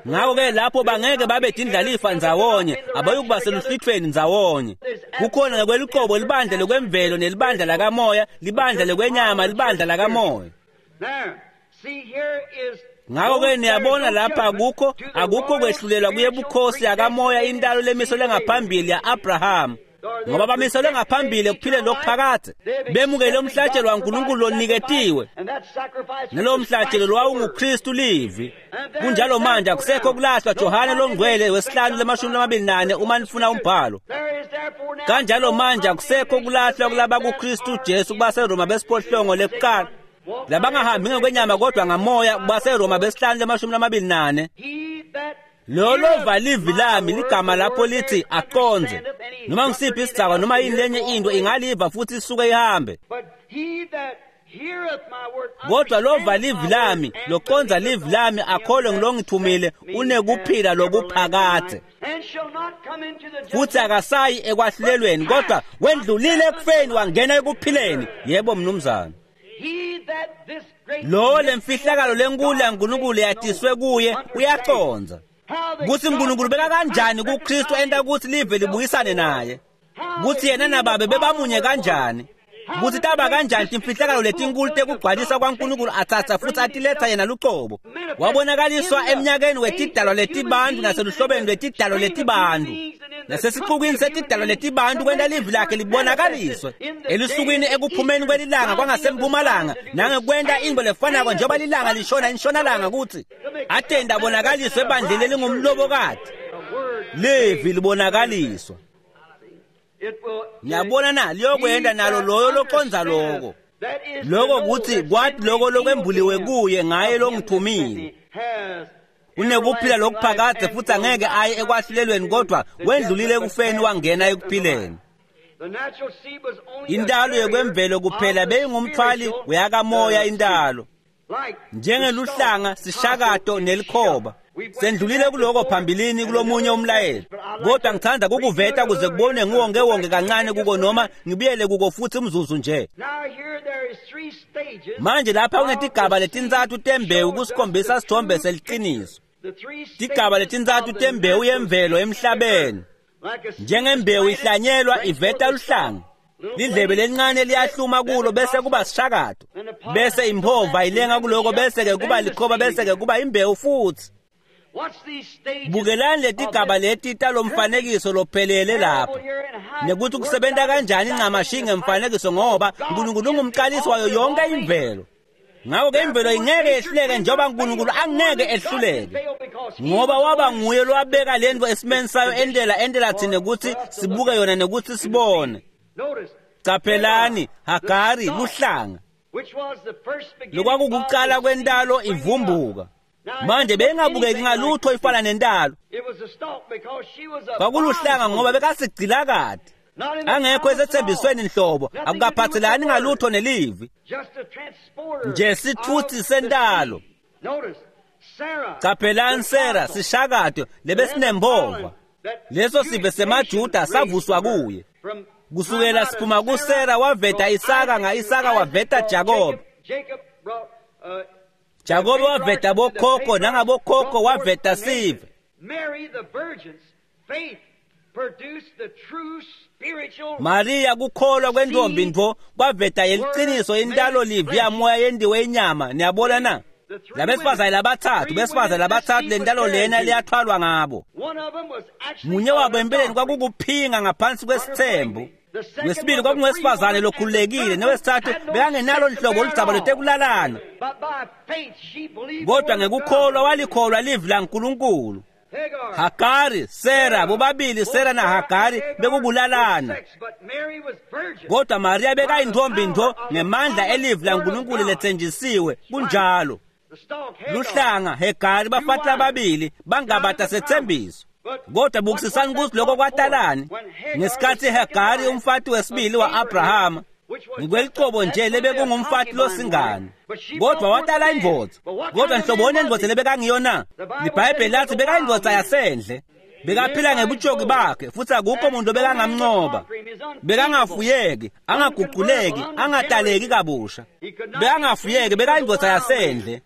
Ngakho-ke lapho bangeke babe tindlalifa ndzawonye, abayukuba seluhlwithweni ndzawonye. Kukhona ngekweluqobo libandla lekwemvelo nelibandla lakamoya, libandla lekwenyama, libandla lakamoya. Ngakho-ke niyabona lapha akukho kwehlulelwa kuyebukhosi yakamoya, intalo lemiselwe ngaphambili ya-Abraham. Ngoba bamiselwe ngaphambili ekuphileni lokuphakadze, bemukele umhlatshelo waNkulunkulu loniketiwe, nalowo mhlatshelo lwawunguKristu livi. Kunjalo manje akusekho kulahlwa. Johane longcwele wesihlanu lemashumi lamabili nane, uma nifuna umbhalo. Kanjalo manje akusekho kulahlwa kulaba kuKristu Jesu, kubaseRoma besiphohlongo lekuqala, labangahambi ngokwenyama kodwa ngamoya, kubaseRoma besihlanu lemashumi lamabili nane. Lo lova livi lami, ligama lapho lithi aqondze noma ngisiphi isidzakwa noma yini lenye into ingaliva futhi isuke ihambe. Kodwa lova livi lami, loqondza livi lami, akholwe ngilongithumile, unekuphila lokuphakadze, futhi akasayi ekwahlulelweni, kodwa wendlulile ekufeni wangena ekuphileni. Yebo mnumzane. Lo lemfihlakalo lenkulu yaNkulunkulu yatiswe kuye uyacondza kutsi uNkulunkulu beka kanjani kuKristu enta kutsi live libuyisane naye, kutsi yena nababe bebamunye kanjani, kutsi taba kanjani timfihlakalo letinkulu tekugcwalisa kwaNkulunkulu atsatsa futhi atiletha yena lucobo, wabonakaliswa eminyakeni wetidalwa letibantu naseluhlobeni lwetidalwa letibantu nasesixukwini setidalwa letibantu, kwenta livi lakhe libonakaliswe elusukwini ekuphumeni kwelilanga kwangasempumalanga, nangekwenta intfo lefanako njengoba lilanga lishona inshonalanga, kutsi atende abonakaliswe ebandleni elingumlobokati. Livi libonakaliswa. Niyabona na, liyokwenta nalo loyo loqondza loko. Loko kutsi kwati loko lokwembuliwe kuye ngaye longithumile. Unekuphila lokuphakadze futhi angeke aye ekwahlulelweni, kodwa wendlulile ekufeni wangena ekuphileni. Intalo yekwemvelo kuphela beyingumthwali weyakamoya intalo, njengeluhlanga, sishakato nelikhoba. Sendlulile kuloko phambilini kulomunye umlayelo, kodwa ngithanda kukuveta kuze kubone nguwonke wonke kancane kuko noma ngibuyele kuko futhi umzuzu nje. Manje lapha kunetigaba letintsatfu tembewu kusikhombisa sithombe seliqiniso. Tigaba letintsatfu tembewu yemvelo emhlabeni. Njengembewu ihlanyelwa iveta luhlanga. Lidlebe lelincane liyahluma kulo bese kuba sishakato, bese imphova ilenga kuloko, bese ke kuba likhoba, bese ke kuba imbewu futhi. Bukelani letigaba leti talomfanekiso lophelele lapha, nekuthi kusebenta kanjani ncamashi ngemfanekiso, ngoba uNkulunkulu ungumqalisi wayo yonke imvelo. Ngakho-ke imvelo ingeke yehluleke njengoba uNkulunkulu angeke ehluleke, ngoba waba nguye lowabeka lento esimeni sayo entela thina ukuthi sibuke yona nekuthi sibone. Caphelani, Hagari luhlanga lokwakukuqala kwentalo ivumbuka. Manje beyingabukeki ngalutho ifana nentalo. Kwakuluhlanga ngoba bekasigcilakade, angekho esethembisweni nhlobo, akukaphathelani ngalutho nelivi, nje sithuthi sentalo. Caphelani Sera sishakato lebesinembova, leso sive semaJuda savuswa kuye. Kusukela siphuma kuSera waveta Isaka, nga-Isaka waveta Jakobe, Jakobe waveta bokhokho, nangabokhokho waveta sive. Maria kukholwa kwentombi ntfo kwaveta yeliqiniso intalo livi yamoya yendiwe inyama. Niyabona na? Labesifazane labathathu, besifazane labathathu lentalo lena liyathwalwa ngabo. Munye wabo empeleni kwakukuphinga ngaphansi kwesithembu, wesibili kwakungowesifazane lokhululekile, nowesithathu bekangenalo nhlobo oludzaba lwetekulalana, kodwa ngekukholwa walikholwa livi laNkulunkulu. Hagari, Sera, bobabili Sera na Hagari bekukulalana, kodwa Maria bekayintombi ntfo ngemandla elivi laNkulunkulu letsenjisiwe. Kunjalo. Luhlanga Hagari bafati lababili bangabata sethembiso, kodwa bukisisani ukuthi lokho kwatalani ngesikhathi Hagari umfati wesibili wa-Abrahama, ngikwelicebo nje lebekungumfati losingane, kodwa watala indvodza. Kodwa nhloboni endvodza lebekangiyo na? LiBhayibheli lathi bekayindvodza yasendle, bekaphila ngebutshoki bakhe, futhi akukho muntu bekangamncoba. Bekangafuyeki, angaguquleki, angataleki kabusha. Bekangafuyeki, bekayindvodza yasendle,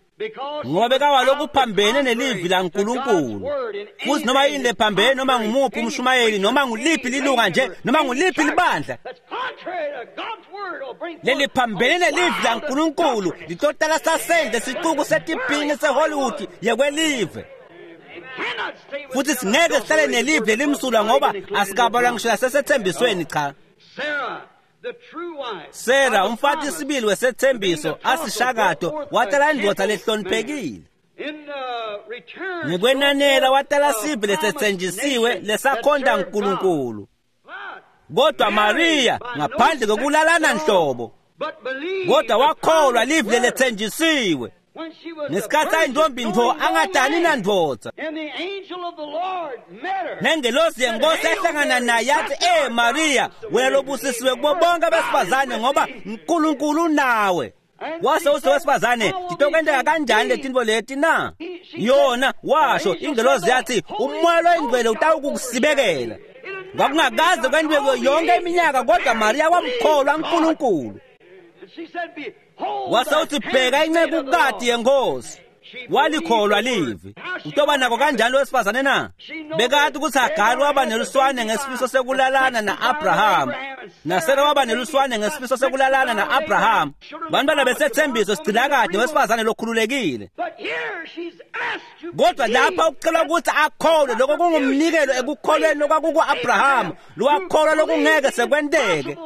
ngoba bekawalokhu phambene nelivi laNkulunkulu. Futhi noma yini lephambene, noma ngumuphi umshumayeli, noma nguliphi lilunga nje, noma nguliphi libandla leliphambene nelivi laNkulunkulu litotala sasendle sicuku setiphingi seHollywood yekwelive. Futhi singeke sihlale nelivi lelimsulwa ngoba asikabalwa ngisho nasesethembisweni. Cha. Sera umfati sibili wesethembiso asishakato watala indvodza lehloniphekile. Ngekwenanela watala sive lesetsenjisiwe lesakhonta uNkulunkulu. Kodwa Maria ngaphandle kokulalana nhlobo, kodwa wakholwa livi leletsenjisiwe. Ngesikhathi ayintombi ntfo angadani nandvodza, nengelosi yenkosi yahlangana naye yathi, "Eh Maria, wena lobusisiwe kubo bonke abesifazane ngoba uNkulunkulu unawe." Wase uthi wesifazane, "Titokwenteka kanjani letintfo leti na?" Yona washo ingelosi yathi, "Umoya loyingcwele utawukusibekela." Kwakungakaze kwentiwe yonke iminyaka, kodwa Maria wamkholwa uNkulunkulu. Wase uthi, "Bheka incekukati yenkosi." Walikholwa livi. Utoba nako kanjani wesifazane na? Bekati ukuthi Hagari waba neluswane ngesifiso sekulalana na-Abraham, naSara waba neluswane ngesifiso sekulalana na-Abraham. Bantwana besethembiso sigcilakade wesifazane lokhululekile. Kodwa lapha ucelwa ukuthi akholwe, lokho kungumnikelo ekukholweni lokwakuku-Abraham, lowakholwa lokungeke sekwenteke.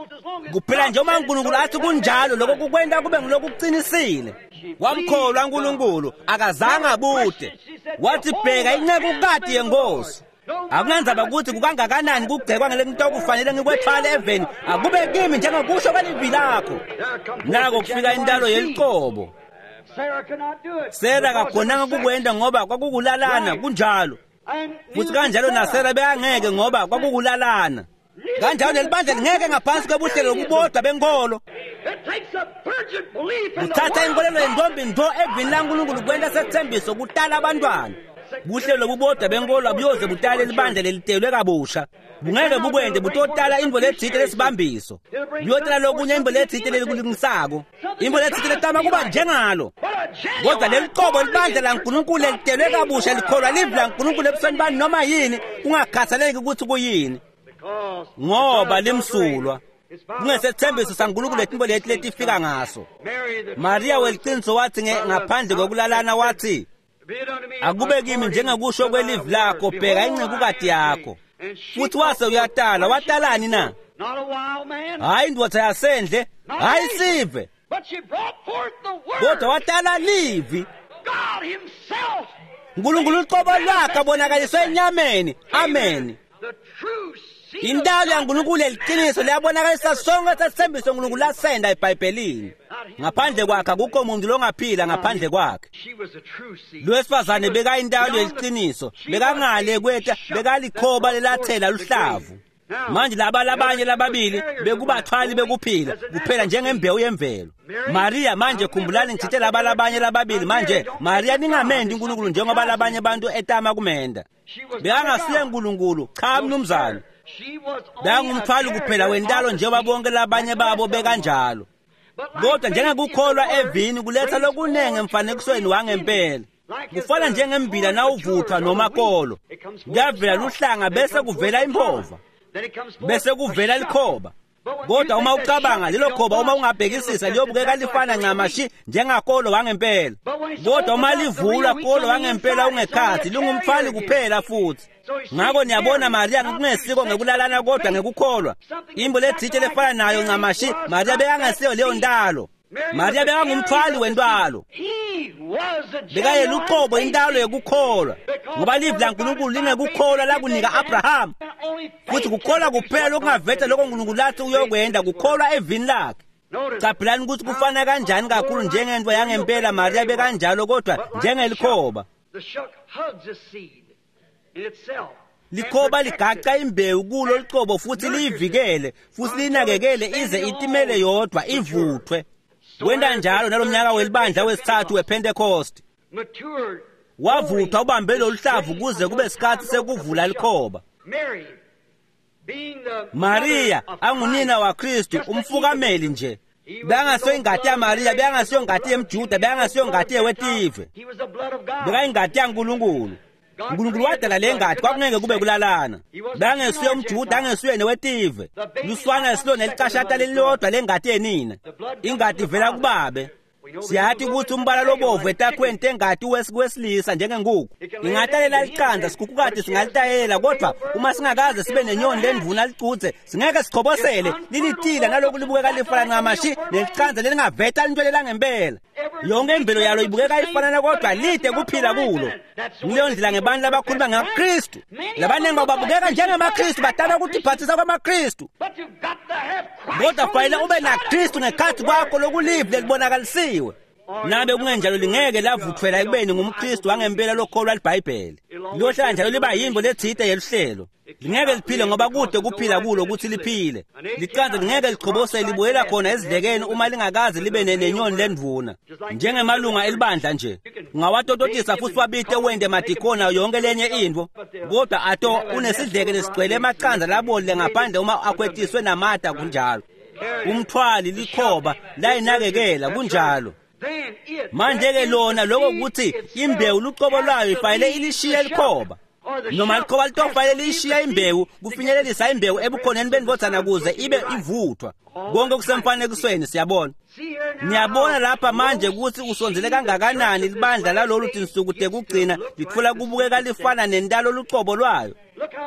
Kuphela nje uma uNkulunkulu athi kunjalo, lokho kukwenta kube ngulokuqinisile. Wamkholwa uNkulunkulu, akazange abude. Wathi, "Bheka incekukati yenkosi." Akunandzaba ukuthi kukangakanani kugcekwa ngelento kufanele ngikwethwale eveni, akube kimi njengokusho kwelivi lakho. Nako kufika intalo yelicobo. Sera kakhonanga kukwenda ngoba kwakukulalana. Kunjalo. Futhi kanjalo naSera bekangeke ngoba kwakukulalana. Kanjalo nelibandla lingeke ngaphansi kwebuhlelo lobubodwa benkolo. Kuthatha inkolelo yentombi ntfo evini laNkulunkulu kwenta sethembiso kutala abantwana. Buhlelo lobubodwa benkolo abuyoze butale libandla lelitelwe kabusha. Bungeke bukwente, butotala intfo letsite lesibambiso. Buyotala lokunye intfo letsite lelikulungisako, intfo letsite letama kuba njengalo. Kodwa leliqobo libandla laNkulunkulu lelitelwe kabusha likholwa livi laNkulunkulu ebusweni bani noma yini, kungakhathaleki ukuthi kuyini, ngoba limsulwa. Kungesethembiso saNkulunkulu letintfo leti letifika ngaso. Mariya weliciniso wathi ngaphandle kokulalana wathi, akube kimi njengekusho kwelivi lakho, bheka incekukati yakho. Futhi wase uyatala. Watalani na? Hayi indvodza yasendle, hayi sive, kodwa watala livi. Nkulunkulu uqobo lwakhe abonakaliswe enyameni. Amen. Intalo yaNkulunkulu leliqiniso liyabonakalisa sonke sethembiso uNkulunkulu lasenda eBhayibhelini. Ngaphandle kwakhe akukho muntu longaphila ngaphandle kwakhe. Lowesifazane bekayintalo yeliqiniso, bekangale kweta, bekalikhoba lelathela luhlavu. Manje laba labanye lababili bekubathwali bekuphila kuphela njengembewu yemvelo. Maria, manje khumbulani ngithithe laba labanye lababili. Manje Maria ningamendi uNkulunkulu njengoba labanye abantu etama kumenda. Bekangasiye uNkulunkulu, cha mnumzane. Bekangumthwali kuphela wentalo njengoba bonke labanye babo bekanjalo. Kodwa njengekukholwa evini kuletha lokunengi emfanekisweni wangempela. Kufana njengembila nawuvuthwa noma kolo, kuyavela luhlanga bese kuvela impova, bese kuvela likhoba. Kodwa uma ucabanga lelo khoba, uma ungabhekisisa liyobukeka lifana ncamashi njengakolo wangempela. Kodwa uma livulwa kolo wangempela ungekhathi, lingumthwali kuphela futhi. Ngakho niyabona Maria kungesiko ngekulalana kodwa ngekukholwa. Imbo letsite lefana nayo ncamashi, Maria bekangasiyo leyo ntalo. Maria bekangumthwali wentwalo. Bekayeluqobo intalo yekukholwa, ngoba livi laNkulunkulu lingekukholwa lakunika Abraham. Futhi kukholwa kuphela okungaveta lokho uNkulunkulu lathi uyokwenda, kukholwa evini lakhe. Caphelani ukuthi kufana kanjani kakhulu njengento yangempela. Maria bekanjalo, kodwa njengelikhoba. Likhoba ligaca imbewu kulo licobo futhi liyivikele futhi liyinakekele ize itimele yodwa ivuthwe. Wenta njalo nalomnyaka welibandla wesithathu wePentecost. Wavuthwa ubambe loluhlavu kuze kube sikhathi sekuvula likhoba. Maria angunina waKristu, umfukameli nje. Bekangasiyo ingati yaMaria, bekangasiyo ingati yemJuda, bekangasiyo ingati yewetive. Bekayingati yaNkulunkulu. uNkulunkulu wadala le ngati, kwakungeke kube kulalana. Bekangesiyo umJuda, angesuye newetive. Luswana silona elicashata lelilodwa lengati yenina. Ingati ivela kubabe. Siyathi ukuthi umbala lobovu etakhweni tengati wesilisa njengenkukhu. Ingatalela liqanda, sikhukhukati singalitayela, kodwa uma singakaze sibe nenyoni lendvuna licuthe, singeke sichobosele lilitila naloku libukeka lifana ncamashi neliqanda lelingaveta lintwele langempela. Yonke imvelo yalo ibukeka ifanana kodwa lide kuphila kulo. Ngileyo ndlela ngebantu labakhuluma ngaKristu. Labaningi babukeka njengamaKristu, badala ukutiphathisa kwamaKristu. Kodwa fanele ube naKristu ngekhathi kwakho lokulive lelibonakalisiwe. Nabe kungenjalo lingeke lavuthwela ekubeni ngumKristu wangempela lokholwa liBhayibheli. Liyohlala njalo liba yimbo letsite yeluhlelo. Lingeke liphile ngoba kude kuphila kulo ukuthi liphile. Liqanda lingeke lichobose libuyela khona ezidlekeni uma lingakaze libe nenyoni lendvuna. Njengemalunga elibandla nje, ungawatototisa futhi wabite wende madikona yonke lenye intfo, kodwa ato unesidleke lesigcwele emaqanda labolile ngaphandle uma akhwetiswe namata kunjalo. Umthwali likhoba layinakekela kunjalo. Manje-ke lona lokho ukuthi imbewu lucobo lwayo ifanele ilishiye likhoba, noma likhoba litofanele liyishiye imbewu kufinyelelisa imbewu ebukhoneni bendvodzana kuze ibe ivuthwa. Konke kusemfanekisweni siyabona. Niyabona lapha manje ukuthi usondzele kangakanani libandla lalolu tinsuku tekugcina litfola kubukeka lifana nentalo lucobo lwayo.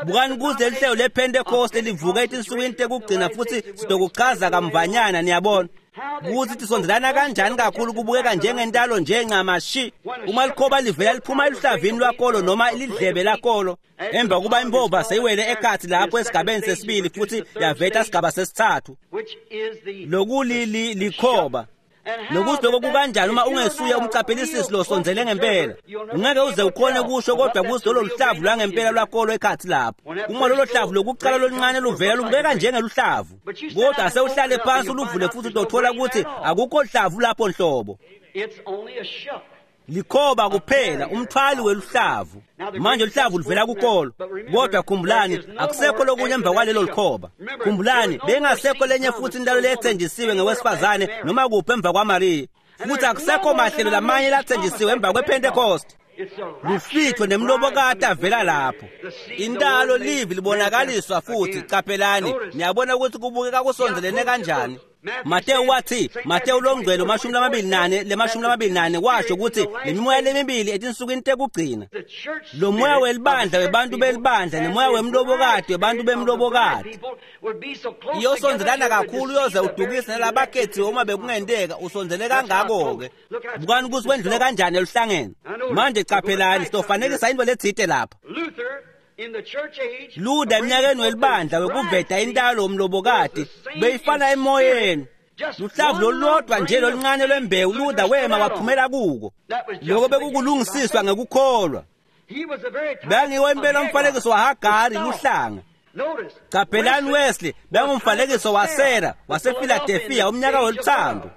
Bukani kuze lihlelo lePentecost livuke etinsukwini tekugcina futhi sitokuchaza kamvanyana niyabona. Ukuthi tisondelana kanjani kakhulu kubukeka njengentalo nje ncamashi. Uma likhoba livela liphuma eluhlavini lwakolo noma lidlebe lakolo, emva kuba impova seyiwele ekhathi lapho esigabeni sesibili futhi yaveta sigaba sesithathu, lokulikhoba. Nokuthi lokho kukanjani uma ungesuye umcaphelisisi losondzele ngempela, ungeke uze ukhone kusho kodwa kuthi lolo luhlavu lwangempela lwakolo ekhathi lapho. Uma lolo hlavu lokuqala loluncane luvela lubukeka njengeluhlavu, kodwa asewuhlale phansi uluvule futhi utothola ukuthi akukho hlavu lapho nhlobo. Likhoba kuphela umthwali weluhlavu. Manje luhlavu luvela kukolo, kodwa khumbulani akusekho lokunye emva kwalelo likhoba. Khumbulani bengasekho lenye futhi intalo lethenjisiwe ngewesifazane noma kuphi emva kwaMariya, futhi akusekho mahlelo lamanye lathenjisiwe emva kwePentecost. Lufitho nemlobokati avela lapho. Intalo livi libonakaliswa futhi. Caphelani, niyabona ukuthi kubukeka kusondelene kanjani. Mateyu wathi, Mateyu longcwele 24 le-24 washo ukuthi lemimoya lemibili etinsukwini tekugcina, lo moya welibandla webantu belibandla nemoya wemlobokati webantu bemlobokati iyosondelana kakhulu, uyoze udukise nalabakhethiwe uma bekungenteka usondele kangako-ke. Bukani ukuthi kwendlule kanjani eluhlangeni. Manje caphelani, sitofanekisa into letsite lapha. Luther eminyakeni welibandla wekuveta intalo womlobokati beyifana emoyeni. Luhlavu lolulodwa nje loluncane lwembewu Luther wema waphumela kuko. Lokho bekukulungisiswa ngekukholwa. Bengiwo impela umfanekiso waHagari luhlanga. Caphelani, Wesley bengumfanekiso waSarah wasePhiladelphia umnyaka weluthando.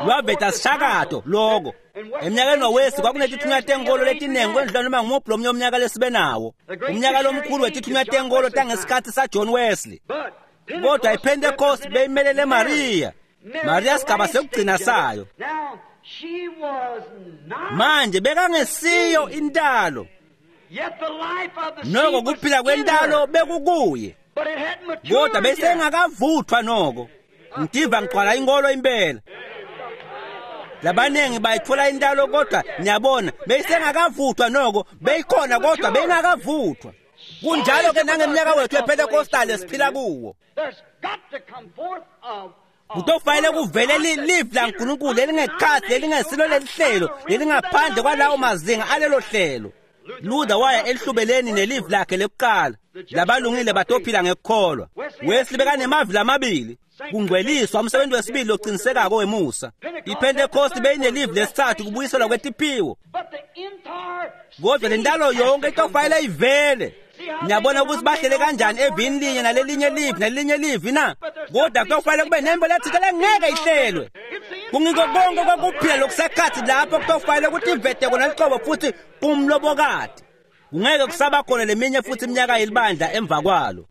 Lwaveta sishakato loko. Eminyakeni waWesley kwakunetithunywa tenkolo letiningi kwendlula noma ngumuphi lomnye umnyaka lesibe nawo. Umnyaka lomkhulu wetithunywa tenkolo tangesikhathi saJohn Wesley. Kodwa iPentecost beyimelele Maria. Maria sigaba sekugcina sayo. Manje bekangesiyo intalo. Noko kuphila kwentalo bekukuye, kodwa besengakavuthwa noko. Ngitiva ngigcwala inkolo impela. Labaningi bayithola intalo, kodwa niyabona beyisengakavuthwa noko, beyikhona kodwa beyingakavuthwa. Kunjalo ke nangeminyaka wethu yePentecostal esiphila kuwo. Kutofanele kuvele livi laNkulunkulu lelingekhathi lelingesilo lelihlelo lelingaphandle kwalawo mazinga alelo hlelo. Luther waya elihlubeleni nelivi lakhe lekuqala. Labalungile batophila ngekukholwa. Wesley bekanemavi lamabili. Kungcweliswa umsebenzi wesibili locinisekako wemusa. IPentecost beyinelivi lesithathu, kubuyiselwa kwetiphiwo. Kodwa lentalo yonke itofanele ivele. Niyabona ukuthi bahlele kanjani evini linye nalelinye livi nalelinye livi na? Kodwa kutofanele kube nembo lethile lengeke ihlelwe. Kungiko konke kokuphila lokusekhathi lapho kutofanele ukuthi ivete kona liqobo futhi kumlobokati. Kungeke kusaba khona leminye futhi iminyaka yelibandla emva kwalo.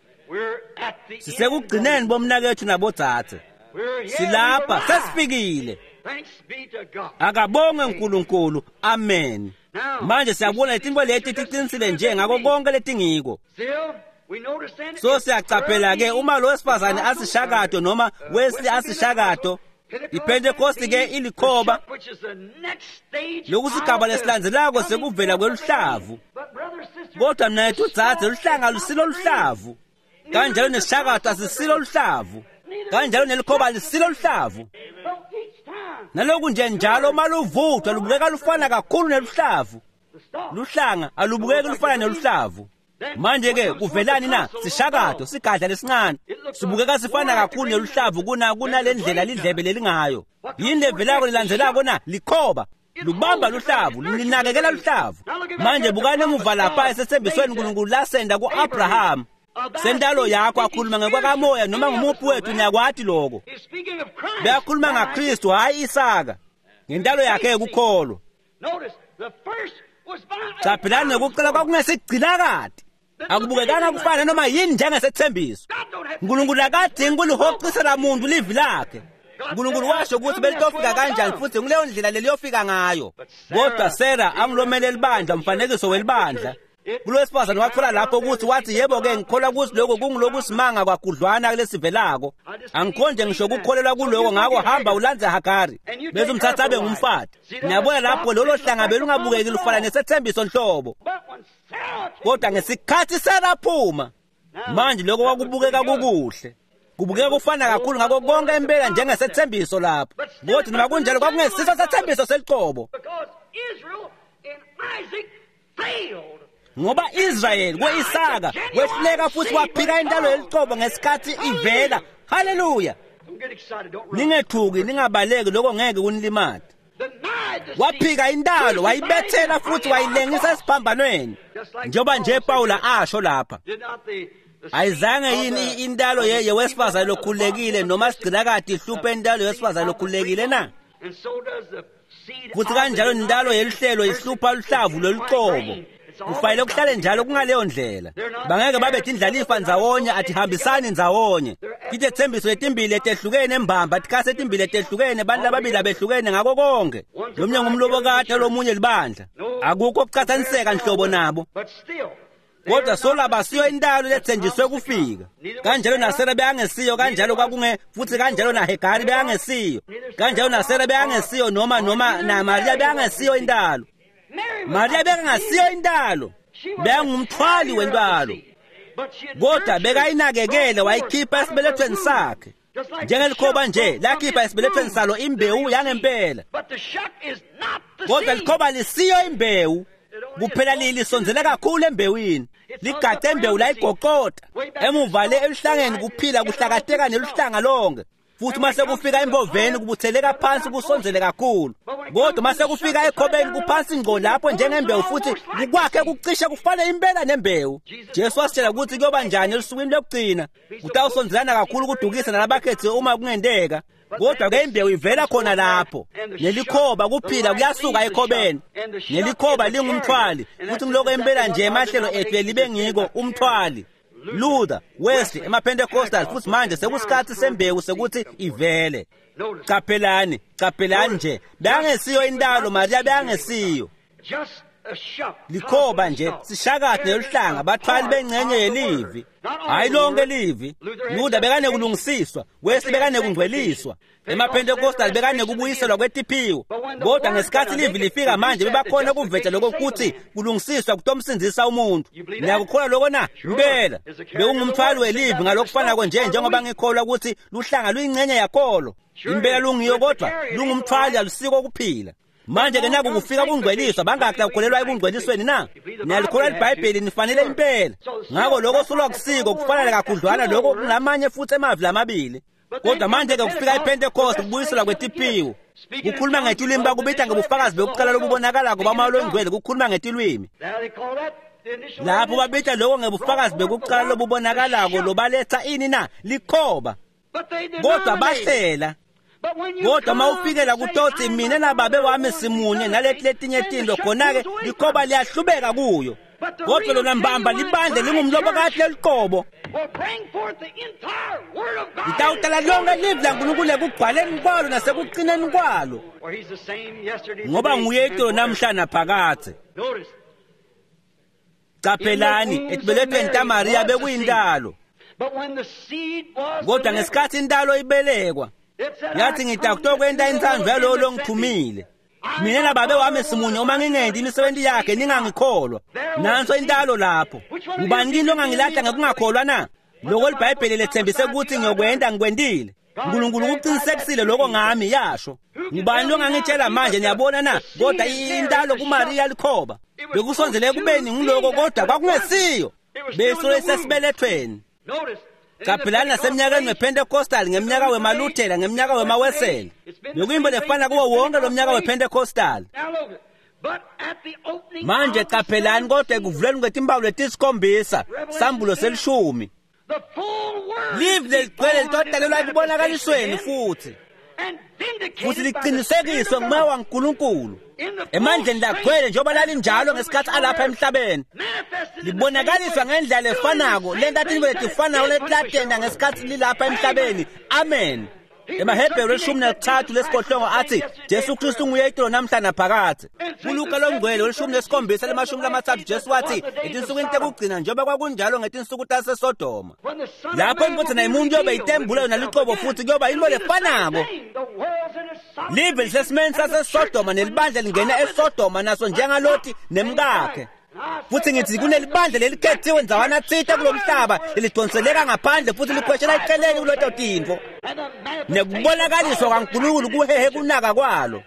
Sisekugcineni bomnakethu nabodzadze. Silapha, sesifikile. Akabongwe uNkulunkulu. Amen. Manje siyabona letinto leti tiqinisile nje ngako konke letingiko. So siyacaphela ke uma lo wesifazane asishakato noma Wesley asishakato, iPentecost ke ilikhoba lokusigaba lesilandzelako sekuvela kweluhlavu. Kodwa mnethu dzadze, luhlanga lusilo luhlavu. Kanjalo nesishakato asisilo luhlavu. Kanjalo nelikhoba lisilo luhlavu. Naloku nje njalo uma luvuthwa lubukeka lufana kakhulu neluhlavu. Luhlanga alubukeki lufana neluhlavu. Manje ke kuvelani na? Sishakato sigadla lesincane sibukeka sifana kakhulu neluhlavu kunalendlela lidlebe lelingayo. Yini levelako lilandzelako na? Likhoba. Lubamba luhlavu, linakekela luhlavu. Manje bukani emuva lapha esethembisweni uNkulunkulu lasenda ku-Abraham. Sentalo yakho akhuluma ngekwakamoya noma ngumuphi wethu niyakwati lokho. Beyakhuluma ngaKristu hayi Isaka. Ngentalo yakhe yekukholwa. Caphelani nokucela kwakungesigcinakati. Akubukekanga kufana noma yini njengesethembiso. uNkulunkulu akadingi kulihocisela muntu livi lakhe. uNkulunkulu washo ukuthi belitofika kanjani futhi nguleyo ndlela leliyofika ngayo. Kodwa Sarah angilomele libandla, umfanekiso welibandla. Kulowesifazane wathola lapho ukuthi wathi yebo ke ngikholwa ukuthi lokho kungulokusimanga kwagudlwana kulesivelako. Angikhonje ngisho ukukholelwa kuloko, ngakho hamba ulandze Hagari bese umthatha abe ngumfati. Niyabona lapho lolo hlanga belungabukeki lufana nesethembiso nhlobo. Kodwa ngesikhathi Sarah phuma, manje lokho kwakubukeka kukuhle. Kubukeka kufana kakhulu ngako konke impela njengesethembiso lapho. Kodwa noma kunjalo kwakungesiso sethembiso seliqobo. Ngoba Israel kweIsaka wehluleka futhi waphika intalo yeliqobo ngesikhathi ivela. Haleluya. Ningethuki, ningabaleki, lokho ngeke kunilimate. Waphika intalo, wayibethela futhi wayilengisa esiphambanweni. Njengoba nje Paula asho lapha. Ayizange yini intalo yewesifazane lokhululekile noma sigcinakade ihluphe intalo yewesifazane lokhululekile na? Futhi kanjalo nentalo yeluhlelo ihlupha luhlavu loluqobo. Kufanele kuhlale njalo kungaleyo ndlela. Bangeke babe tindlalifa ndzawonye atihambisani ndzawonye. Titethembiso letimbili letehlukene embamba, tikhasi letimbili letehlukene, bantu lababili abehlukene ngako konke. Lomunye ngumlobokati lomunye libandla. Akukho kucatsaniseka nhlobo nabo. Kodwa solabasiyo intalo lethenjiswe kufika. Kanjalo naSara beyangesiyo, kanjalo kwakunge futhi kanjalo naHegari beyangesiyo. Kanjalo naSara beyangesiyo noma naMariya beyangesiyo intalo. Mariya bekangasiyo intalo, bekangumthwali wentalo. Kodwa bekayinakekele wayikhipha esibelethweni sakhe. Njengelikhoba nje lakhipha esibelethweni salo imbewu yangempela. Kodwa likhoba lisiyo imbewu. Kuphela lisondzele kakhulu embewini. Ligace imbewu layigoqota. Emuva le eluhlangeni kuphila kuhlakateka neluhlanga lonke. Futhi mase kufika emboveni kubutheleka phansi kusondzele kakhulu. Kodwa mase kufika ekhobeni kuphansi ngqo lapho njengembewu futhi kukwakhe kucishe kufane impela nembewu. Jesu wasitshela ukuthi kuyoba njani elusukwini lokugcina. Kutawusondzelana kakhulu kudukisa nalabakhethiwe uma kungenteka. Kodwa ke imbewu ivela khona lapho. Nelikhoba kuphila kuyasuka ekhobeni. Nelikhoba lingumthwali futhi ngiloko impela nje emahlelo ethu libe ngiko umthwali. Luther, Wesley, emaPentecostal futhi manje sekusikhathi sembewu sekuthi ivele. Qaphelani, qaphelani nje. Beyangesiyo intalo Maria beyangesiyo. Likhoba nje sishakathi neluhlanga bathwali bengcenye yelivi. Hayi lonke livi. Luther bekanekulungisiswa, Wesley bekanekungcweliswa. EmaPentecostal bekanekubuyiselwa kwetiphiwo. Kodwa ngesikhathi livi lifika manje bebakhona ukuvetha lokho kuthi kulungisiswa kutomsindzisa umuntu. Niyakukholwa lokho na? Impela. Bekungumthwali welivi ngalokufanako nje njengoba ngikholwa ukuthi luhlanga luyingcenye yakholo. Impela lungiyo kodwa lungumthwali alusiko kuphila. Manje ke naku kufika kungcweliswa bangaki lakukholelwa ekungcwelisweni na? Niyalikholwa iBhayibheli nifanele impela. Ngakho lokho sulwa kusiko kufanele kakhudlwana lokho kunamanye futhi emavi lamabili. Kodwa manje ke kufika iPentecost kubuyiselwa kwetiphiwo. Kukhuluma ngetilwimi bakubita ngebufakazi bekuqala lobubonakalako bamoya longcwele kukhuluma ngetilwimi. Lapho babita lokho ngebufakazi bekuqala lobubonakalako lobaletha ini na? Likhoba. Kodwa bahlela. Kodwa mawufikela kutothi mina nababe wami simunye naleti letinye tinto khona-ke likhoba liyahlubeka kuyo. Kodwa lona mbamba libandle lingumlobokati leliqobo. Litawutala lonke livi laNkulunkulu ekugcwaleni kwalo nasekuqineni kwalo. Ngoba nguye itolo namhla naphakadze. Qaphelani ekubelethweni taMariya bekuyintalo. Kodwa ngesikhathi intalo ibelekwa yathi ngitakutokwenta intsandvo yalowo longithumile. Mina nababe wami simunye uma ngingendi imisebenzi yakhe ningangikholwa. Nanso intalo lapho. Ngubani kini longangilahla ngekungakholwa na? Lokho iBhayibheli lethembise ukuthi ngiyokwenda ngikwendile. uNkulunkulu ukuqinisekisile lokho ngami yasho. Ngubani longangitshela manje niyabona na? Kodwa intalo kuMariya likhoba. Bekusondzele kubeni ngiloko kodwa kwakungesiyo. Besuke sesibelethweni. Qaphelani naseminyakeni wePentecostal, ngeminyaka wemaLuthela, ngeminyaka wemaWeseli. Bekuyinto lefana kuwo wonke lo mnyaka wePentecostal. Manje qaphelani kodwa ekuvuleni kwetimpawu letisikhombisa, sambulo selishumi. Livi leligcwele litotalelwa ekubonakalisweni futhi. Futhi liqinisekiswe ngumoya waNkulunkulu. Emandleni lagcwele njengoba lalinjalo ngesikhathi alapha emhlabeni. Libonakaliswa ngendlela lefanako, lenta tintfo letifanako letilatenda ngesikhathi lilapha emhlabeni. Amen. EmaHebheru 13 lesibohlongo athi Jesu Kristu nguye itolo namhla naphakadze. KuLuka longcwele 17 30 Jesu wathi etinsukwini tekugcina njengoba kwakunjalo ngetinsuku taseSodoma. Lapho indvodzana yemuntu yobe itembula yona luqobo futhi kuyoba yinto lefanako. Live lisesimeni saseSodoma nelibandla lingena eSodoma naso njengaLoti nemkakhe. Futhi ngithi kunelibandla lelikhethiwe ndzawana tsite kulomhlaba lelidonseleka ngaphandle futhi likhweshela eceleni kuleto tintfo. Nekubonakaliswa kwaNkulunkulu kuhehe kunaka kwalo.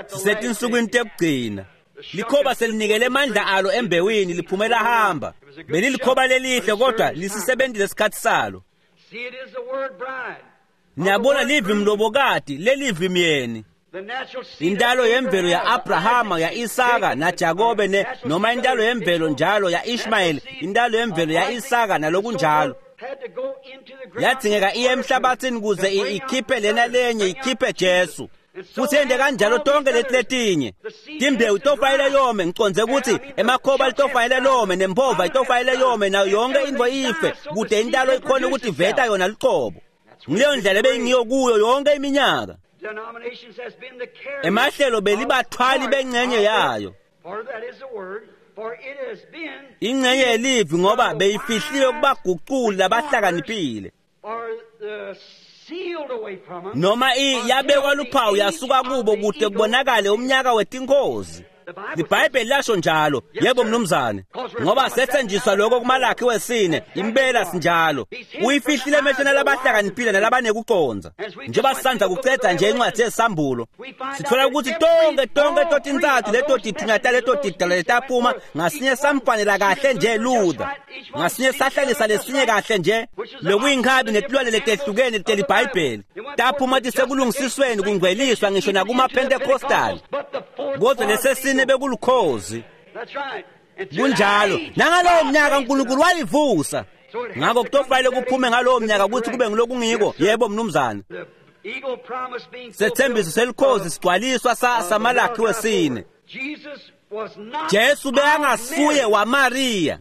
Sisetinsukwini tekugcina. Likhoba selinikele amandla alo embewini liphumela hamba. Belilikhoba lelihle kodwa lisisebentile isikhathi salo. Niyabona livi mlobokati lelivi myeni. Intalo yemvelo ya-Abrahama, ya-Isaka naJakobe ne noma intalo yemvelo njalo ya-Ishmayeli, intalo yemvelo ya-Isaka nalokunjalo. Yadzingeka iye emhlabathini kuze ikhiphe lena lenye, ikhiphe Jesu. Futhi yente kanjalo tonke leti letinye. Timbewu itofanele yome, ngicondze ukuthi emakhoba litofanele lome nempova itofanele yome nayo yonke intfo ife kute intalo ikhone ukuthi iveta yona luqobo. Ngileyo ndlela ebeyingiyo kuyo yonke iminyaka. Emahlelo belibathwali bengcenye yayo. Ingcenye yelivi ngoba beyifihliwe kubaguculi labahlakaniphile. Noma yabekwa luphawu yasuka kubo kute kubonakale umnyaka wetinkozi. LiBhayibheli lasho njalo, yebo mnumzane, ngoba sethenjiswa lokho kuMalakhi wesine, impela sinjalo. Uyifihlile emehlweni alabahlakaniphile nalabanekucondza. Njengoba sisandza kucedza nje incwadi yesambulo, sithola ukuthi tonke totintsatfu leto tithunywa taleto tidalwa letaphuma ngasinye samfanela kahle nje Luther, ngasinye sahlalisa lesinye kahle nje, lokuyinkabi netilwane letehlukene teliBhayibheli. Taphuma tisekulungisisweni kungcweliswa ngisho nakuma-Pentecostal. Kodwa lesesine bekulukhozi. Kunjalo, nangalowo mnyaka uNkulunkulu wayivusa. Ngakho kutofanele kuphume ngalowo mnyaka ukuthi kube ngilokungiko. Yebo mnumzane. Sethembiso selikhozi sigcwaliswa saMalakhi wesine. Jesu bekangasuye waMariya,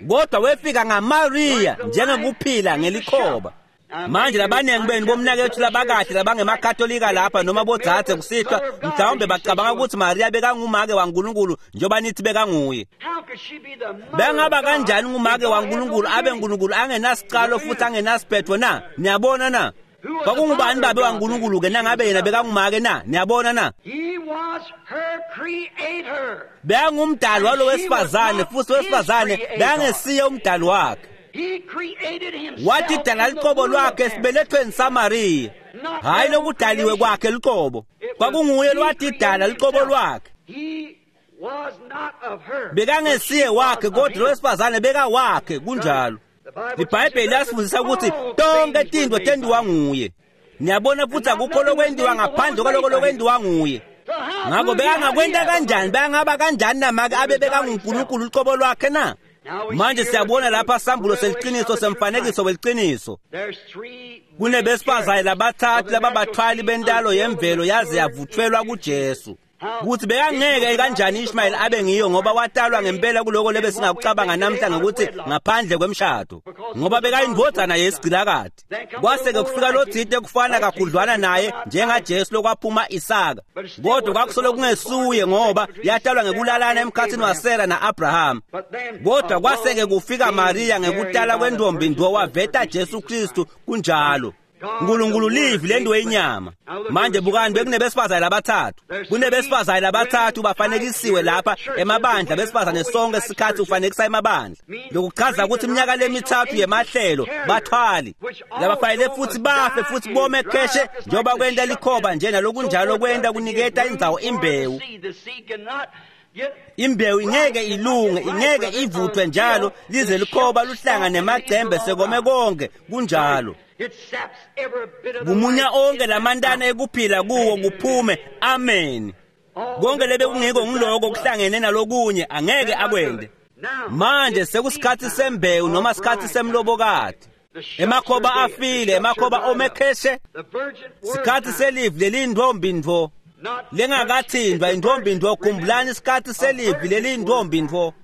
kodwa wefika ngaMariya njengekuphila ngelikhoba. Manje labaningi benu bomnakethu labakahle labangemakatolika lapha noma bodzadze kusihlwa mhlawumbe bacabanga ukuthi Mariya bekangumake waNkulunkulu njengoba nithi bekanguye. Bengaba kanjani ngumake waNkulunkulu abe uNkulunkulu angenasicalo futhi angenasiphetho na? Niyabona na? Kwakungubani babe waNkulunkulu ke nangabe yena bekangumake na? Niyabona na? Bekangumdali walo wesifazane futhi wesifazane bekangesiye umdali wakhe. Watidala luqobo lwakhe esibelethweni saMariya, hhayi lokudaliwe kwakhe luqobo. Kwakunguye lwatidala luqobo lwakhe. Bekangesiye wakhe kodwa lowesifazane bekawakhe. Kunjalo. LiBhayibheli liyasifundisa ukuthi tonke tintfo tentiwa nguye. Niyabona futhi akukho lokwentiwa ngaphandle kwaloko lokwentiwa nguye. Ngakho bekangakwenta kanjani, bekangaba kanjani namake abe bekanguNkulunkulu luqobo lwakhe na? Manje siyabona lapha sambulo seliqiniso semfanekiso weliciniso. Kunebesifazane labathathu lababathwali bentalo yemvelo yaze yavuthwelwa kuJesu. Kuthi bekangeke kanjani Ishmael abe ngiyo ngoba watalwa ngempela kuloko lebe singakucabanga namhla ngokuthi ngaphandle kwemshado, ngoba bekayindvodzana yesigcilakati. Kwase-ke kufika lotsite kufana kakhudlwana naye njengaJesu lokwaphuma Isaka, kodwa kwakusolo kungesuye ngoba yatalwa ngekulalana emkhatsini waSara na-Abraham. Kodwa kwase-ke kufika Mariya ngekutala kwentombi ndo waveta Jesu Kristu. Kunjalo. Nkulunkulu livi lento yenyama. Manje bukani, bekunebesifazane labathathu. Kunebesifazane labathathu bafanekisiwe lapha emabandla besifazane sonke isikhathi ufanekisa emabandla. Lokuchaza ukuthi iminyaka lemithathu yemahlelo bathwali labafanele futhi bafe futhi bome kheshe njengoba kwenta likhoba nje nalokunjalo kwenta kuniketa indzawo imbewu. Imbewu ingeke ilunge, ingeke ivuthwe njalo lize likhoba luhlanga nemacembe sekome konke. Kunjalo. Kumunya onke lamantana ekuphila kuwo kuphume. Amen. Konke lebe kungiko ngiloko kuhlangene nalokunye angeke akwende. Manje sekusikhathi sembewu noma sikhathi semlobokati. Emakhoba afile, emakhoba omekheshe. Sikhathi selivi leliyintombi ntfo lengakathindwa intombi ntfo. Khumbulani isikhathi selivi leliyintombi ntfo.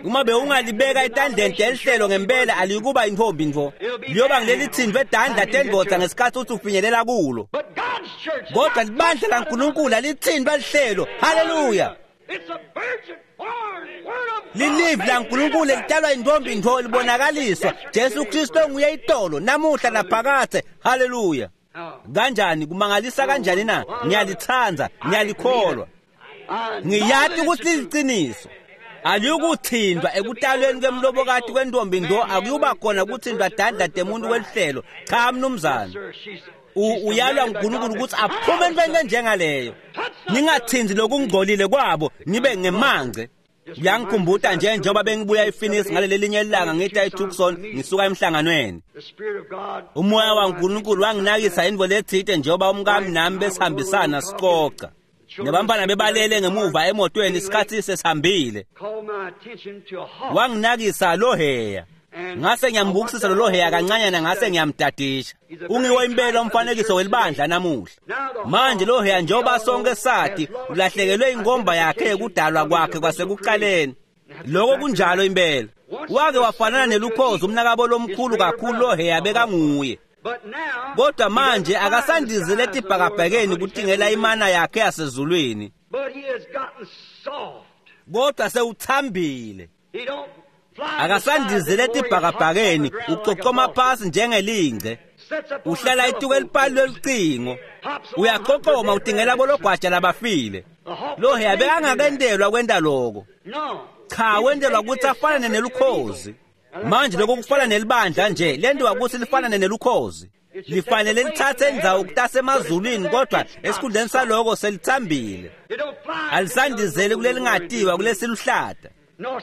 Uma bewungalibeka etandleni telihlelo ngempela alikuba intombi ntfo, liyoba ngilelithindwe edandla tendvodza ngesikhathi uthi ufinyelela kulo. Kodwa libandla laNkulunkulu alithindwa lihlelo. Haleluya! Lilivi laNkulunkulu elitalwa intombi ntfo libonakaliswa Jesu Kristu onguye itolo namuhla naphakadze. Haleluya! Kanjani kumangalisa kanjani na? Ngiyalithanda, ngiyalikholwa, ngiyati ukuthi liqiniso. Aliyukuthindwa ekutalweni kwemlobokati kwentombi ndo, akuyuba khona kuthindwa dandla temuntu kwelihlelo. Cha mnumzane. Uyalwa nguNkulunkulu ukuthi aphume entweni enjengaleyo. Ningathindi lokungcolile kwabo, nibe ngemangce. Kuyangikhumbuta nje njengoba bengibuya ePhoenix ngaleli linye ilanga ngita eTucson ngisuka emhlanganweni. Umoya waNkulunkulu wanginakisa intfo letsite njengoba umkami nami besihambisana sicoca. Nebantfwana bebalele ngemuva emotweni isikhathi sesihambile. Wanginakisa loheya. Ngase ngiyambukisisa lolo heya kancanyana, ngase ngiyamdadisha. Ungiwo impela umfanekiso welibandla namuhla. Manje lo heya, njengoba sonke sathi, ulahlekelwe ingomba yakhe yekudalwa kwakhe kwasekuqaleni. Lokho kunjalo impela. Wake wafanana nelukhozi umnakabo lomkhulu kakhulu lo heya bekanguye. Kodwa manje akasandizile etibhakabhakeni kutingela imana yakhe yasezulwini. Kodwa sewuthambile. Akasandizile etibhakabhakeni, ucocoma phasi njengelingce. Uhlala ituke elipali lolucingo. Uyaqoqoma utingela bologwaja labafile. Lo heya bekangakendelwa kwenta lokho. Cha, wendelwa ukuthi afanane nelukhozi. Manje lokho kufana nelibandla nje, lendiwa ukuthi lifanane nelukhozi. Lifanele lithathe indzawo kutasemazulwini, kodwa esikhundleni saloko selithambile. Alisandizeli kulelingatiwa kulesiluhlata.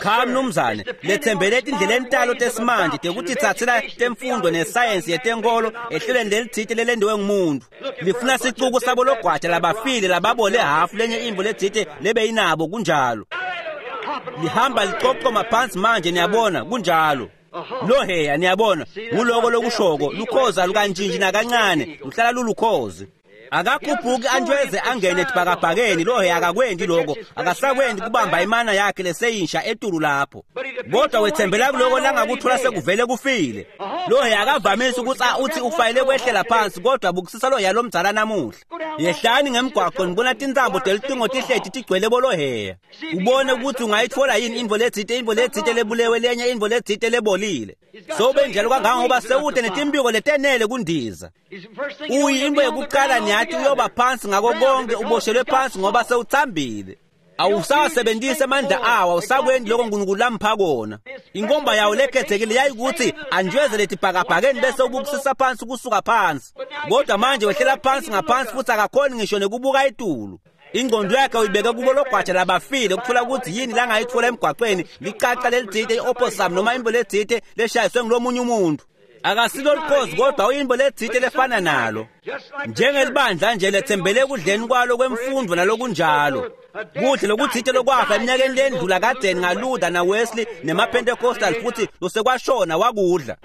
Cha mnumzane, lethembele etindleleni talo tesimanje tekutitsatsela temfundo nesayensi yetenkolo ehlelweni lelitsite lelendiwe ngumuntu. Lifuna sicuku sabo logwaja labafile lababole hafu lenye imvo letsite lebeyinabo, kunjalo. Lihamba licocoma phansi manje, niyabona, kunjalo. Lo heya, niyabona, nguloko lokushoko, lukhozi alukantshintshi nakancane, luhlala lulukhozi. Akakhuphuki antweze angene etibhakabhakeni, lo heya akakwendi lokho, akasakwendi kubamba imana yakhe leseyinsha etulu lapho. Kodwa wethembela kuloko langakuthola sekuvele kufile. Lo heya akavamisi ukuthi uthi ufayele kwehlela phansi, kodwa bukusisa lo heya lomdzala namuhla. Yehlani ngemgwaqo nibona tintsambo telitingo tihleti tigcwele boloheya. Ubone ukuthi ungayithola yini intfo letsite, intfo letsite lebulewe, lenye intfo letsite lebolile. Sewube njalo kangangoba sewude netimpiko letenele kundiza. Uyintfo yekuqala niyathi uyoba phansi ngako konke, uboshelwe phansi ngoba sewuthambile. Awusawasebenzisi amandla awo, awusakwendi lokho uNkulunkulu lampha kona. Inkomba yawo lekhethekile yayikuthi antshweze letibhakabhakeni bese ubukisisa phansi kusuka phansi. Kodwa manje wehlela phansi ngaphansi futhi akakhoni ngisho nekubuka etulu. Ingqondo yakhe uyibeke kubo logwaja labafile ukuthola ukuthi yini langayithola emgwaqweni, licaca lelitsite, i-opossum noma imbo letsite leshayiswe ngulomunye umuntu. Akasilo lukhozi kodwa uyimbo letsite lefana nalo. Njengelibandla nje lethembele ekudleni kwalo kwemfundo nalokunjalo. Kudle lokutsite lokwafa eminyakeni lendlula kadzeni ngaLuther naWesley nemaPentecostal futhi losekwashona wakudla.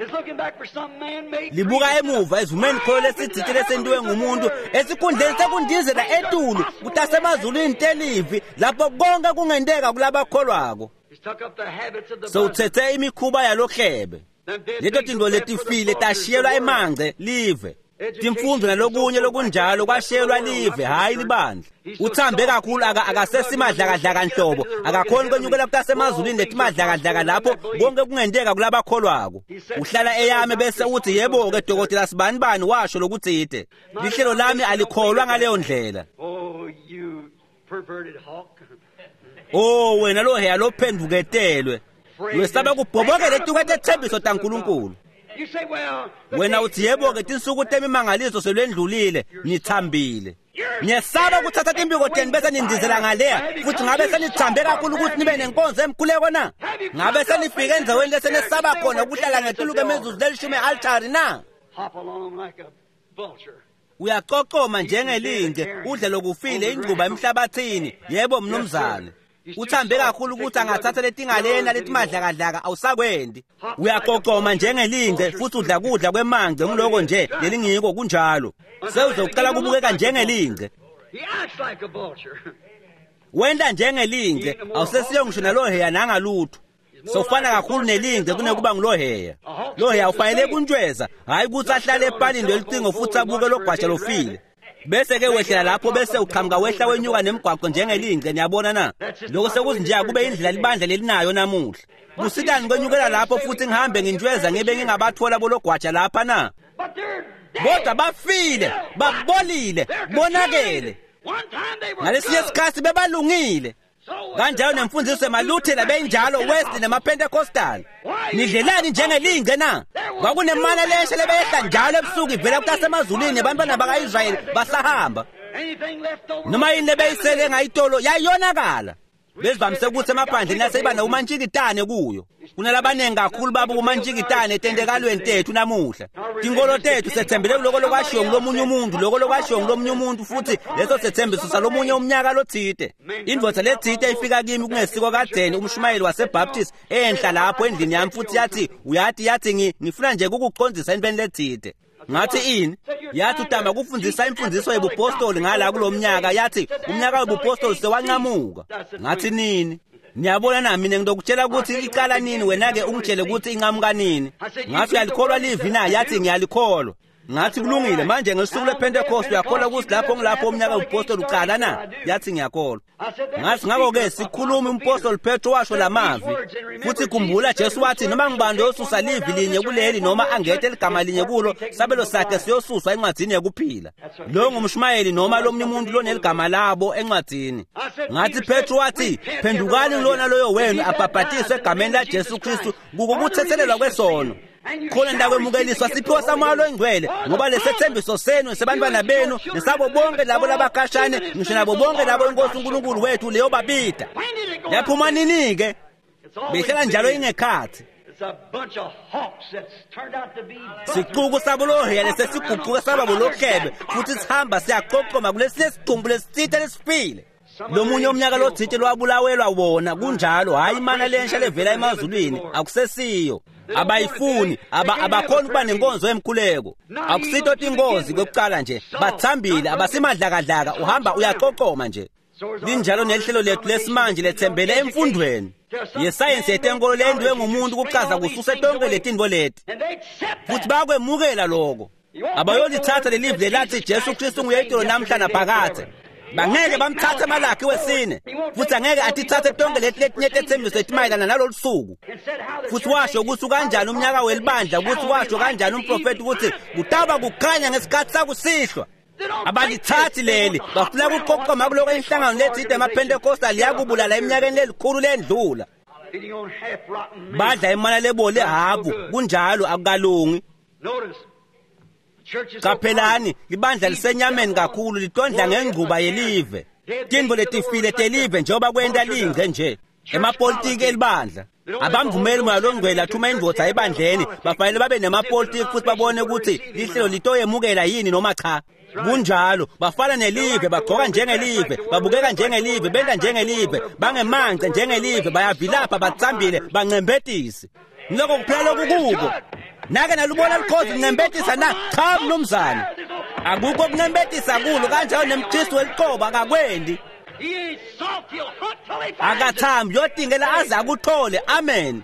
Libuka emuva ezumeni kholo lesitsite lesentiwe ngumuntu esikhundleni sekundizela etulu kutasemazulwini telivi lapho konke kungenteka kulabakholwako. Sewuthethe imikhuba yalohlebe. Leto tintfo letifile tashiyelwa emangce live. Timfundo nalokunye lokunjalo kwashiyelwa live, hhayi libandla. Uthambe kakhulu akasesimadlakadlaka nhlobo, akakhoni kwenyukela kutasemazulwini letimadlakadlaka lapho konke kungenteka kulabakholwako. Uhlala eyame bese uthi yebo-ke dokotela sibanibani washo lokutsite. Lihlelo lami alikholwa ngaleyo ndlela. Oh wena lo heya lophendvuketelwe. Wesaba kubhobokela etukwe tethembiso taNkulunkulu. Wena uthi yebo-ke tinsuku temimangaliso selwendlulile, nithambile. Niyesaba kuthatha timpiko tenu bese nindizela ngaleya futhi ngabe senithambe kakhulu ukuthi nibe nenkonzo emkhuleko na? Ngabe senifike endzaweni lesenesaba khona ukuhlala ngetulu kwemizuzu lelishumi e-altari na? Uyacocoma njengelinje, udle lokufile ingcuba emhlabathini. Yebo mnumzane. Uthambe kakhulu ukuthi angathatha letingalena letimadlakadlaka awusakwendi. Uyaqoqoma njengelinje futhi udla kudla kwemangce, nguloko nje lelingiko kunjalo. Sewuzoqala kubukeka njengelinje. Wenta njengelinje, awusesiyo ngisho naloheya nangalutho. Sofana kakhulu nelinje kunekuba nguloheya. Loheya ufanele kuntshweza, hhayi ukuthi ahlale epalini lelicingo futhi abuke logwaja lofile. Bese ke wehlela lapho bese uqhamuka wehla wenyuka nemigwaqo njengelinje, niyabona na? Lokho sekuzinje kube indlela libandla lelinayo namuhla. Kusitani kwenyukela lapho futhi ngihambe ngintshweza ngibe ngingabathola bologwaja lapha na? Kodwa bafile, babolile, bonakele. Ngalesinye isikhathi bebalungile. Kanjalo nemfundiso emaLuthela beyinjalo, Wesley nemaPentecostal. Nidlelani njengelinje na? Kwakunemana lesha lebeyehla njalo ebusuku ivela kutasemazulwini nebantwana baka-Israyeli basahamba. Noma yini lebeyisele ngayitolo yayonakala. Besivamise ukuthi emaphandleni aseba nomantshikitane kuyo. Kunalabanengi kakhulu babo kumantshikitane etentekalweni tethu namuhla. Tinkolo tethu sethembele kuloko lokwashiwo ngulomunye umuntu, lokho lokwashiwo ngulomunye umuntu, futhi leso sethembiso salomunye umnyaka lothite. Indvodza lethite ifika kimi kungesiko kadzeni, umshumayeli waseBaptist enhla lapho endlini yami, futhi yathi, uyathi, yathi ngifuna nje ukukucondzisa entweni lethite. Ngathi ini? Yathi utama kufundzisa imfundiso yebupostoli ngala kulomnyaka. Yathi umnyaka webupostoli sewanqamuka. Ngathi nini? Niyabona na, mina ngidokutshela ukuthi iqala nini, wena ke ungitshele ukuthi inqamuka nini. Ngathi uyalikholwa livi na? Yathi ngiyalikholwa. Ngathi kulungile, manje ngosuku lwePentecost uyakholwa ukuthi lapho ngilapho umnyaka webupostoli uqala na? Yathi ngiyakholwa. Ngathi ngakho-ke sikhuluma umpostoli Petro washo lamazwi, futhi khumbula Jesu wathi noma ngibani oyosusa livi linye kuleli noma angethe ligama linye kulo, sabelo sakhe siyosuswa encwadzini yekuphila. Lo ngumshumayeli noma lomunye umuntu loneligama labo encwadzini. Ngathi Petro wathi phendukani lona loyo wenu abhabhatiswe egameni laJesu Kristu kukuthethelelwa kwesono, khona ndakwemukeliswa siphiwo samoya longcwele, ngoba lesethembiso senu sebantwana benu nesabo bonke labo labakhashane, ngisho nabo bonke labo inkosi uNkulunkulu wethu leyobabida. Yaphuma nini-ke? Behlala njalo ingekhathi. Sicuku sabolohheya lesesiguquka saba bolohlebe, futhi sihamba siyaqoqoma kulesinye sidumbu lesitsite lesifile. Lomunye umnyaka lothite lwabulawelwa wona, kunjalo. Hhayi imana lensha levela emazulwini, akusesiyo. Abayifuni, abakhoni ukuba nenkonzo yemkhuleko. Akusito tingozi kwekucala nje, bathambile, abasimadlakadlaka, uhamba uyaqoqoma nje. Linjalo nehlelo lethu lesimanje lethembele emfundweni yesayensi yetenkolo lentiwe ngumuntu kuchaza kususe tonke letinto leti, futhi bayakwemukela loko. Abayolithatha lelivi lelathi Jesu Kristu nguye itolo namhla naphakadze. Bangeke bamthathe Malakhi wesine, futhi angeke atithathe tonke leti letinye tetsembiso letimayelana nalolu suku. Futhi washo ukuthi kanjani umnyaka welibandla, ukuthi washo kanjani umprofeti ukuthi kutaba kukhanya ngesikhathi sakusihlwa. Abalithathi leli, bafuna ukuqoqoma kuloko inhlangano lethide emaPentecostal liyakubulala eminyakeni lelikhulu lendlula. Badla imana lebole habu, kunjalo, akukalungi. Qaphelani, libandla lisenyameni kakhulu, litondla ngengquba yelive. Tintfo letifile telive njengoba kwenta lingce nje. Emapolitiki elibandla abamvumeli moya longcwele athuma indvodza ebandleni, bafanele babe nemapolitiki futhi babone ukuthi lihlelo litoyemukela yini noma cha. Kunjalo, bafana nelive, bagqoka njengelive, babukeka njengelive, benta njengelive, bangemance njengelive, bayavilapha, batsambile, bancembetisi. Ngiloko kuphela lokukuko. Nake nalubona likhozi lincembetisa na? Cha mnumzane, akukho kuncembetisa kulo. Kanjalo nemKristu weliqobo akakwendi, akathambi, uyotingela aze akuthole. Amen.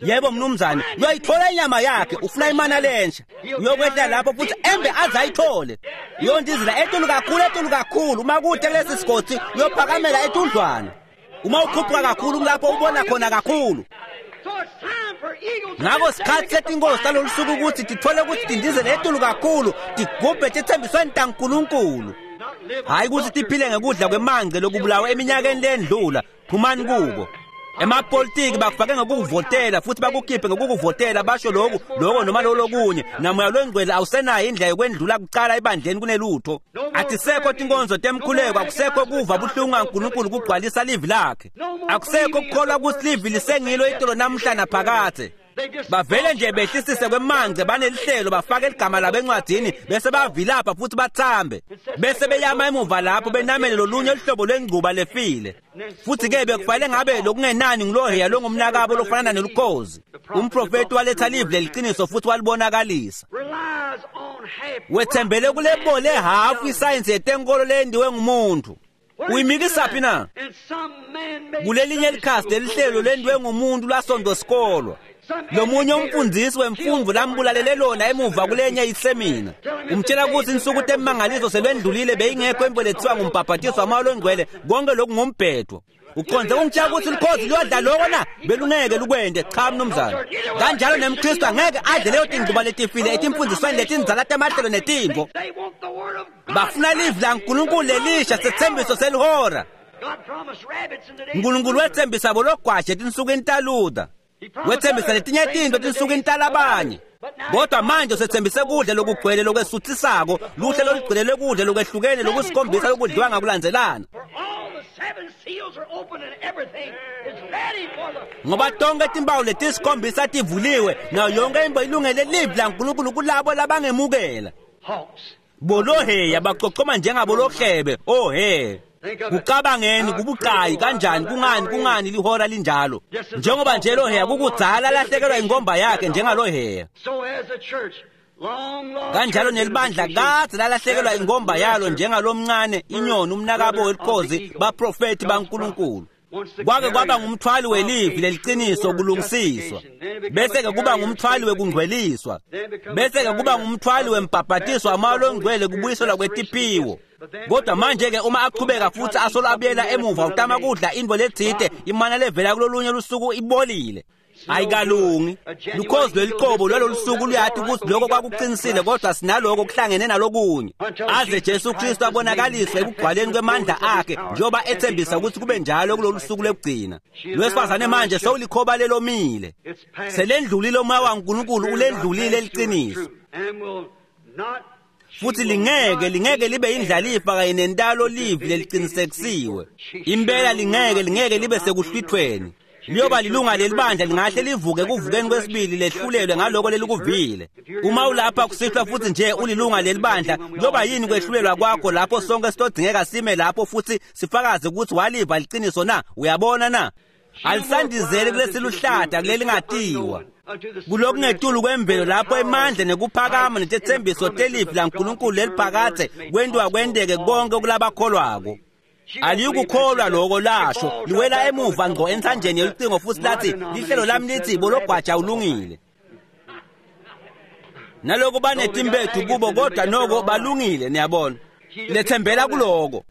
Yebo mnumzane, uyoyithola inyama yakhe, ufuna imana lensha, uyokwehla lapho futhi embe aze ayithole. Uyondizela etulu kakhulu, etulu kakhulu. Uma kude kulesi sigodzi uyophakamela etudlwana. Uma ukhuphuka kakhulu kulapho ubona khona kakhulu. Ngakho sikhathi setinkosi talolu suku ukuthi tithole ukuthi tindizele etulu kakhulu, tigubhe tithembisweni taNkulunkulu. Hhayi ukuthi tiphile ngekudla kwemangce lokubulawa eminyakeni lendlula. Phumani kuko. Emapolitiki bakufake ngokukuvotela futhi bakukhiphe ngokukuvotela, basho lokhu lokho noma lolokunye. Namoya longcwele awusenayo indlela yokwendlula kucala ebandleni kunelutho. Atisekho tinkonzo temkhuleko, akusekho kuva buhlungu kaNkulunkulu kugcwalisa livi lakhe, akusekho kukholwa ukuthi livi lisengilo itolo namhla naphakadze. Bavele nje behlisise kwemangce, banelihlelo, bafake ligama labo encwadini, bese bavilapha futhi bathambe, bese beyama emuva lapho benamele lolunye luhlobo lwengcuba lefile. Futhi-ke bekufanele ngabe lokungenani nguloheya longumnakabo lofanana nelukhozi. Umprofeti waletha livi leliqiniso futhi walibonakalisa. Wethembele kulebole hafu isayensi yetenkolo lendiwe ngumuntu. Uyimikisaphi na? Kulelinye likhasi lelihlelo lendiwe ngumuntu lasonto sikolwa. Lomunye umfundisi wemfundvo lambulalele lona emuva kulenye isemina. Umtshela ukuthi insuku temangaliso selwendlulile, beyingekho imvo lethiwa ngumbhabhatiso wamoya longcwele, konke lokhu ngumbhedo. Uqonde ungitshela ukuthi likhozi liyodla loko na? Belungeke lukwende. Cha mnumzane. Kanjalo nemKristu angeke adle leyo tingcuba letifile etimfundisweni letindzala temahlelo netimvo. Bafuna livi laNkulunkulu lelisha, sethembiso selihora. Nkulunkulu wethembisa bologwaje etinsukwini taLuther, wethembisa letinye tintfo etinsukwini talabanye, kodwa manje usethembise kudla lokugcwele lokwesuthisako, luhle lolugcwele lokudla lokwehlukene lokusikhombisa lokudliwa ngakulandzelana. Ngoba tonke timpawu letisikhombisa tivuliwe, nayo yonke imbo ilungele livi laNkulunkulu kulabo labangemukela. Boloheya baqoqoma njengabolohebe. Oh he, kucabangeni kubucayi kanjani, kungani lihora linjalo? Njengoba nje loheya kukudzala lahlekelwa ingomba yakhe njengaloheya, kanjalo nelibandla kadze lalahlekelwa ingomba yalo njengalomncane inyoni umnakabo welikhozi baprofeti baNkulunkulu. Kwake kwaba ngumthwali welivi leliciniso kulungisiswa, bese-ke kuba ngumthwali wekungcweliswa, bese-ke kuba ngumthwali wembhabhatiso wamoya longcwele kubuyiselwa kwetiphiwo. Kodwa manje-ke uma aqhubeka futhi asolo abuyela emuva utama kudla intfo letsite imana levela kulolunye lusuku ibolile, ayikalungi. Lukhozi lweliqobo lwalolu suku luyati ukuthi lokho kwakuqinisile, kodwa sinaloko kuhlangene nalokunye, aze Jesu Kristu abonakaliswe ekugcwaleni kwemandla akhe njengoba ethembisa ukuthi kube njalo kulolu suku lwekugcina. Lwesifazane manje sewulikhoba lelomile, selendlulile umoya waNkulunkulu, ulendlulile liciniso, futhi lingeke libe indlalifa kanye nentalo livi leliqinisekisiwe. Impela lingeke libe sekuhlwithweni. Liyoba lilunga lelibandla lingahle livuke kuvukeni kwesibili lehlulelwe ngaloko lelikuvile. Uma ulapha kusihlwa futhi nje ulilunga lelibandla, kuyoba yini kwehlulelwa kwakho lapho sonke sitodingeka sime lapho futhi sifakaze ukuthi waliva liciniso na? Uyabona na? Alisandizeli kulesiluhlata kulelingatiwa, kulokungetulu kwemvelo lapho emandla nekuphakama netethembiso telivi laNkulunkulu leliphakathe kwentiwa kwenteke konke kulabakholwako. Aliyukukholwa loko lasho, liwela emuva ngqo entsanjeni yolucingo futhi lathi lihlelo lami lithi bologwaja ulungile. Naloko banetimbethu kubo, kodwa noko balungile. Niyabona, lethembela kuloko.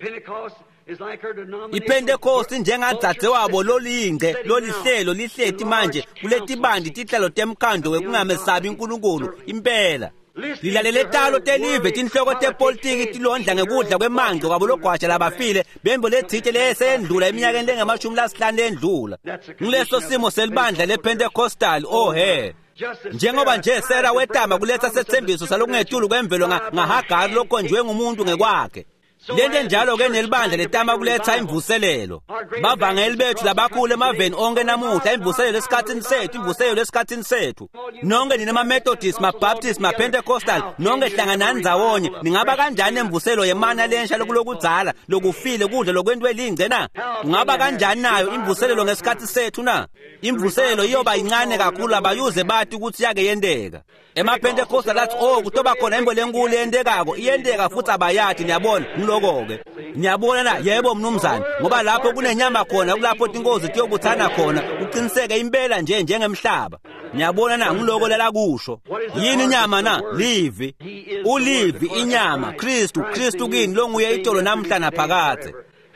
IPentecost njengadzadze wabo lolingce lolihlelo lihleti manje kuletibandi tihlalo temkhando wekungamesabi uNkulunkulu. Impela lilalele talo telive, tinhloko tepolitiki tilondla ngekudla kwemangco kwabologwaja labafile bembo letsite leyesendlula eminyakeni lengama-50 lendlula. Nguleso simo selibandla lePentecostal. Oh he, njengoba nje Sara wetama kuletha sethembiso salokungetulu kwemvelo ngaHagari lokhonjwe ngumuntu ngekwakhe, lento njalo-ke nelibandla letama kuletha imvuselelo. Bavangeli bethu labakhulu emaveni onke namuhla, imvuselelo esikhathini sethu, imvuselelo esikhathini sethu. Nonke nina ma-Methodist, ma-Baptist, ma-Pentecostal, nonke hlanganani ndzawonye. Ningaba kanjani nemvuselelo yemana lensha lokulokudzala lokufile kudla lokwentiwe lingce na? Ungaba kanjani nayo imvuselelo ngesikhathi sethu na? Imvuselelo iyoba yincane kakhulu, abayuze bati ukuthi yake yenteka. EmaPentecostal athi oh kutoba khona imbo lenkulu yentekako, iyenteka futhi abayati. Niyabona, ngiloko-ke. Niyabona na? Yebo mnumzane, ngoba lapho kunenyama khona kulapho tinkozi tiyobuthana khona, kuqiniseke impela nje njengemhlaba. Niyabona na? Ngiloko lelakusho. Yini inyama na? Livi. Ulivi inyama, Kristu, Kristu kini longuye itolo namhla naphakadze.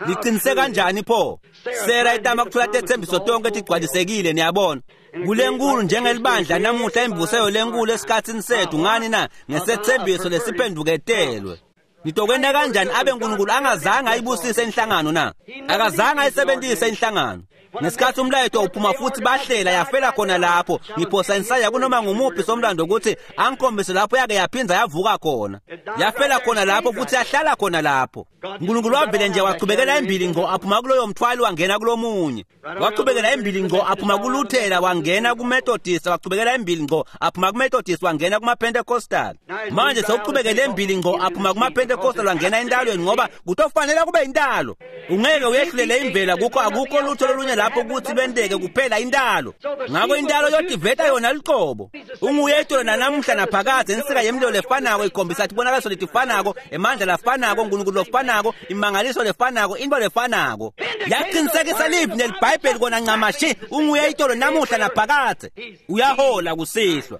Liqinise kanjani pho? Sera itama kuthola tethembiso tonke tigcwalisekile. Niyabona, kulenkulu njengelibandla namuhla, imvuselelo lenkulu esikhathini sethu. Ngani na? Ngesethembiso lesiphenduketelwe. Nitokwenta kanjani abe uNkulunkulu angazange ayibusise inhlangano na? Akazange ayisebenzise inhlangano. Ngesikhathi umlayeto uphuma futhi bahlela yafela khona lapho. Ngiphosa insaya kunoma ngumuphi somlando ukuthi angikhombise lapho yake yaphinza yavuka khona. Yafela khona lapho futhi yahlala khona lapho. uNkulunkulu wavele nje wachubekela embili ngqo aphuma kuloyo mthwalo wangena kulomunye. Wachubekela embili ngqo aphuma kuLuthela wangena kuMethodist, wachubekela embili ngqo aphuma kuMethodist wangena kumaPentecostal. Manje sewuchubekele embili ngqo aphuma kumaPentecostal wangena entalweni, ngoba kutofanele kube intalo. Ungeke uyehlulele imvela kukho, akukho lutho lolunye lapho ukuthi lwenteke kuphela intalo. Ngakho intalo yotiveta yona luqobo. Unguye itolo nanamuhla naphakadze, insika yemlilo lefanako ikhombisa tibonakaliso letifanako, emandla lafanako, uNkulunkulu lofanako, imangaliso lefanako, into lefanako. Yaqinisekisa livi neliBhayibheli kona ncamashi. Unguye itolo namuhla naphakadze. Uyahola kusihlwa.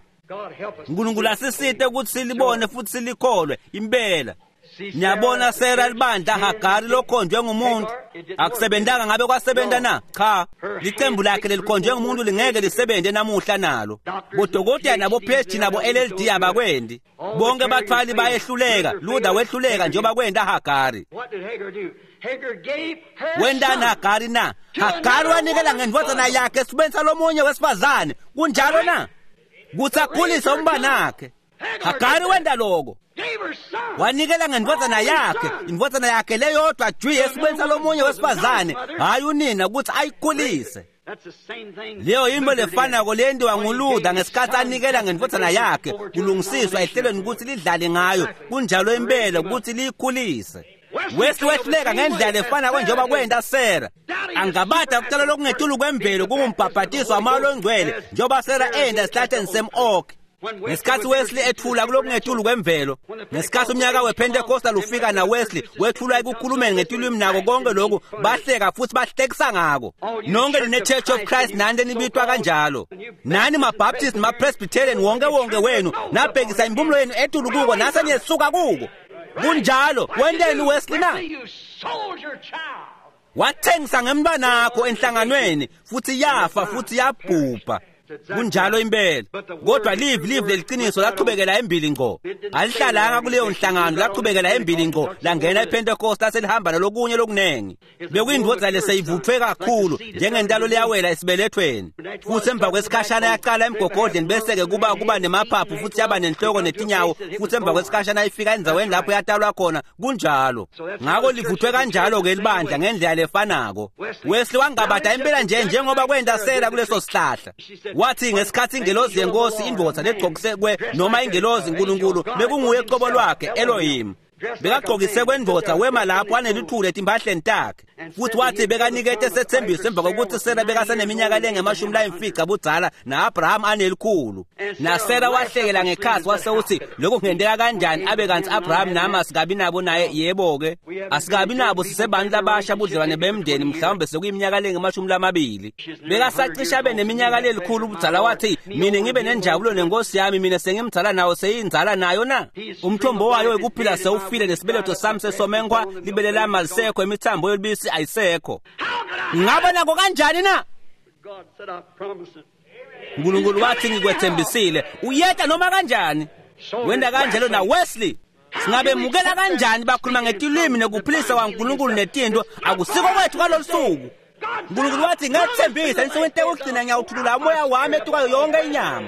uNkulunkulu asisite ukuthi silibone futhi silikholwe impela. Niyabona, Sera libandla Hagari lokhonjwe ngumuntu akusebentanga. Ngabe kwasebenta na? Cha, licembu lakhe lelikhonjwe ngumuntu lingeke lisebenze namuhla nalo. Bodokotela nabo PhD nabo LLD abakwendi. Bonke bathwali bayehluleka. Luther wehluleka njengoba kwenta Hagari. Wentani Hagari na? Hagari wanikela ngendvodzana yakhe esibeni salomunye wesifazane. Kunjalo na? Kuthi akhulise umbanakhe. Hagari wenta loko. Wanikela ngendvodzana yakhe, indvodzana yakhe leyodwa jwi esibeni salomunye wesifazane, hhayi unina ukuthi ayikhulise. Leyo yintfo lefanako leyentiwa nguLuther ngesikhatsi anikela ngendvodzana yakhe kulungisiswa ehlelweni kutsi lidlale ngayo, kunjalo impela kutsi liyikhulise. Wesley wehluleka ngendlela lefanako njengoba kwenta Sarah. Angabata kucala lokungetulu kwemvelo kungumbhabhatiso wamoya longcwele njengoba Sarah enda esihlahleni sem-oak. Ngesikhatsi Wesley ethula kulokungetulu kwemvelo, ngesikhatsi umnyaka wePentecostal ufika na Wesley wethulwa ekukhulumeni ngetilwimi nako konke lokhu, bahleka futhi bahlekisa ngako. Nonke nine Church of Christ nani lenibitwa kanjalo, nani maBaptist maPresbyterian, wonke wonke wenu nabhekisa impumulo yenu etulu kuko nase niyesuka kuko. Kunjalo. Wenteni Wesley na? Wathengisa ngemntwanakho enhlanganweni futhi yafa futhi yabhubha. Kunjalo impela. Kodwa livi leliciniso lachubekela embili ngco. Alihlalanga kuleyo nhlangano, lachubekela embili ngco, langena ePentecost laselihamba nalokunye lokunengi. Bekuyindvodza leseyivuthwe kakhulu njengentalo leyawela esibelethweni. Futhi emva kwesikhashana yaqala emgogodleni bese-ke kuba nemaphaphu futhi yaba nenhloko netinyawo, futhi emva kwesikhashana ifika endzaweni lapho yatalwa khona. Kunjalo. Ngako livuthwe kanjalo-ke libandla ngendlela lefanako. Wesley wangabada impela nje njengoba kwenta Sarah kuleso sihlahla. Wathi ngesikhatsi ingelozi yenkosi, indvodza legcokise kwe noma ingelozi uNkulunkulu bekunguye qobo lwakhe Elohim, bekagcokise kwendvodza, wema lapho anelithule etimpahleni takhe, futhi wathi bekanikete sethembiso emva kokuthi Sarah bekaseneminyaka lengama-50 budzala na-Abraham anelikhulu. NaSarah wahlekela ngekhatsi wase uthi lokhu kungenteka kanjani abe kantsi Abraham nami asikabi nabo naye? Yebo-ke, asikabi nabo, sisebantu labasha budlelwane bemndeni, mhlawumbe sekuyiminyaka lengama-20. Bekasacishe abe neminyaka lelikhulu budzala. Wathi mina ngibe nenjabulo nenkosi yami, mina sengimdzala nawo seyindzala nayo na? Umthombo wayo wekuphila sewufile, nesibeletho sami sesomenkwa, libele lami alisekho, imithambo yolubisi ayisekho. Ngingaba nako kanjani na? uNkulunkulu wathi ngikwethembisile, uyeta noma kanjani. Wenda kanjalo na Wesley. Singabemukela kanjani bakhuluma ngetilwimi nekuphilisa kwaNkulunkulu netinto? Akusiko kwethu kwalolu suku. uNkulunkulu wathi ngethembisa ensukwini tekugcina ngiyawuthulula umoya wami etukayo yonke inyama.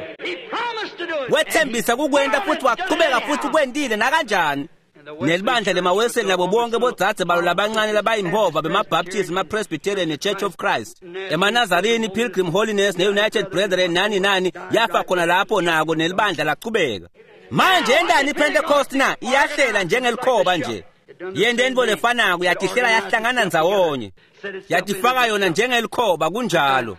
Wethembisa kukwenta futhi wachubeka futhi kwentile nakanjani. Nelibandla lemaWeseli nabo bonke bodzadze balo labancane labayimbova bemaBaptist, emaPresbyterian ne-Church of Christ, emaNazarini, Pilgrim Holiness ne-United Brethren nani nani, yafa khona lapho nako nelibandla lachubeka. Manje yentani iPentecost na? Iyahlela njengelikhoba nje. Yente intfo lefanako, yatihlela yahlangana ndzawonye, yatifaka yona njengelikhoba. Kunjalo.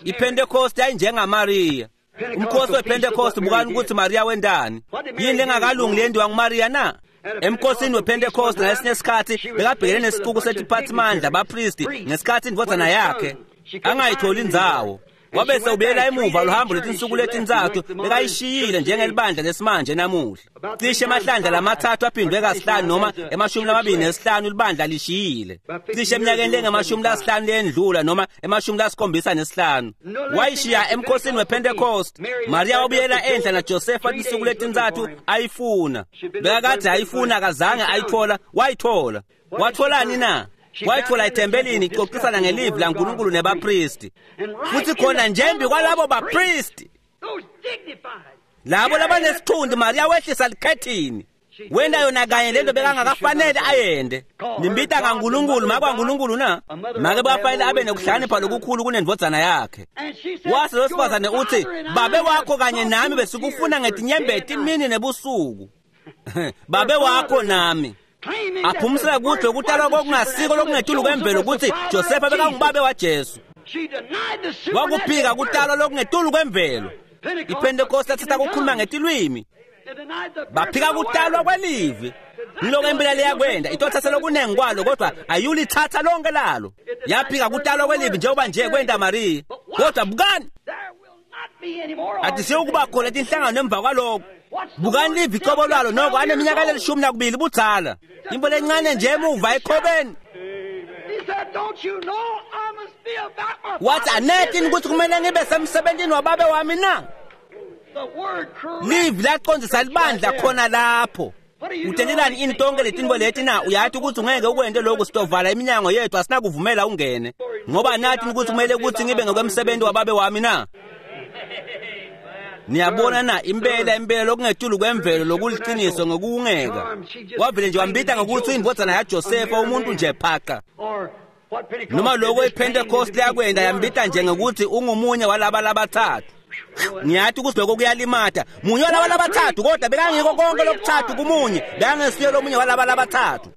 IPentecost yayinjengaMariya. Umkhosi wePentecost, bukani ukuthi Maria wentani. Yini lengakalungi leyentiwa nguMariya na? Emkhosini wePentecost ngalesinye isikhatsi bekabhekene nesixuku setiphatsimandla bapristi ngesikhatsi indvodzana yakhe angayitholi indzawo. Wabese ubuyela emuva luhambo lwetinsuku letintsatfu, bekayishiyile njengelibandla lesimanje namuhla. Cishe emahlandla lamathathu aphindwe kasihlanu noma 25 libandla lishiyile. Cishe eminyakeni lengama-50 leyendlula noma 75. Wayishiya emkhosini wePentecost. Maria wabuyela enhla naJosefa tinsuku letintsatfu ayifuna. Bekakadze ayifuna, akazange ayithola, wayithola. Watholani na? Wayithola ethempelini ixoxisana ngelivi laNkulunkulu nebapristi. Futhi khona njembi kwalabo bapristi, labo labanesithunzi, Maria wehlisa likhethini. Wenta yona kanye lento bekangakafanele ayende. Nimbita ngaNkulunkulu, make waNkulunkulu na? Make bafanele abe nekuhlakanipha lokukhulu kunendvodzana yakhe. Wase losifazane uthi, babe wakho kanye nami besikufuna ngetinyembeti imini nebusuku. Babe wakho nami. Aphumisela kuthi lokutalwa kokungasiko lokungetulu kwemvelo kutsi Josefa bekangubabe waJesu. Wakuphika kutalwa lokungetulu kwemvelo. IPentecost yathatha kukhuluma ngetilwimi. Baphika kutalwa kwelivi. Ngiloko impela liyakwenda, itothatha lokunengi kwalo kodwa ayulithatha lonke lalo. Yaphika kutalwa kwelivi njengoba nje kwenta Maria. Kodwa bukani, atisiyokuba khona tinhlangano emva kwaloko. Bukani livi cobo lwalo noko aneminyaka le-12 budzala. Into lencane nje emuva ekhobeni. Wathi anetini ukuthi kumele ngibe semsebentini wababe wami na? Livi laqondisa libandla khona lapho. Utentelani ini tonke letintfo leti na? Uyathi ukuthi ungeke ukwente lokhu, sitovala iminyango yethu, asinakuvumela ungene. Ngoba nathi ukuthi kumele ukuthi ngibe ngokwemsebenzi wababe wami na? Niyabona na, impela impela lokungetulu kwemvelo lokuliciniso ngokungeka. Wavele nje wambita ngokuthi indvodzana yaJosefa, umuntu nje phaqa. Noma lokho iPentecost yakwenda yambita nje ngokuthi ungumunye walaba labathathu. Ngiyathi ukuthi lokho kuyalimata. Munye walaba labathathu, kodwa bekangiko konke lokuthathu kumunye, bekangesiye lomunye walaba labathathu.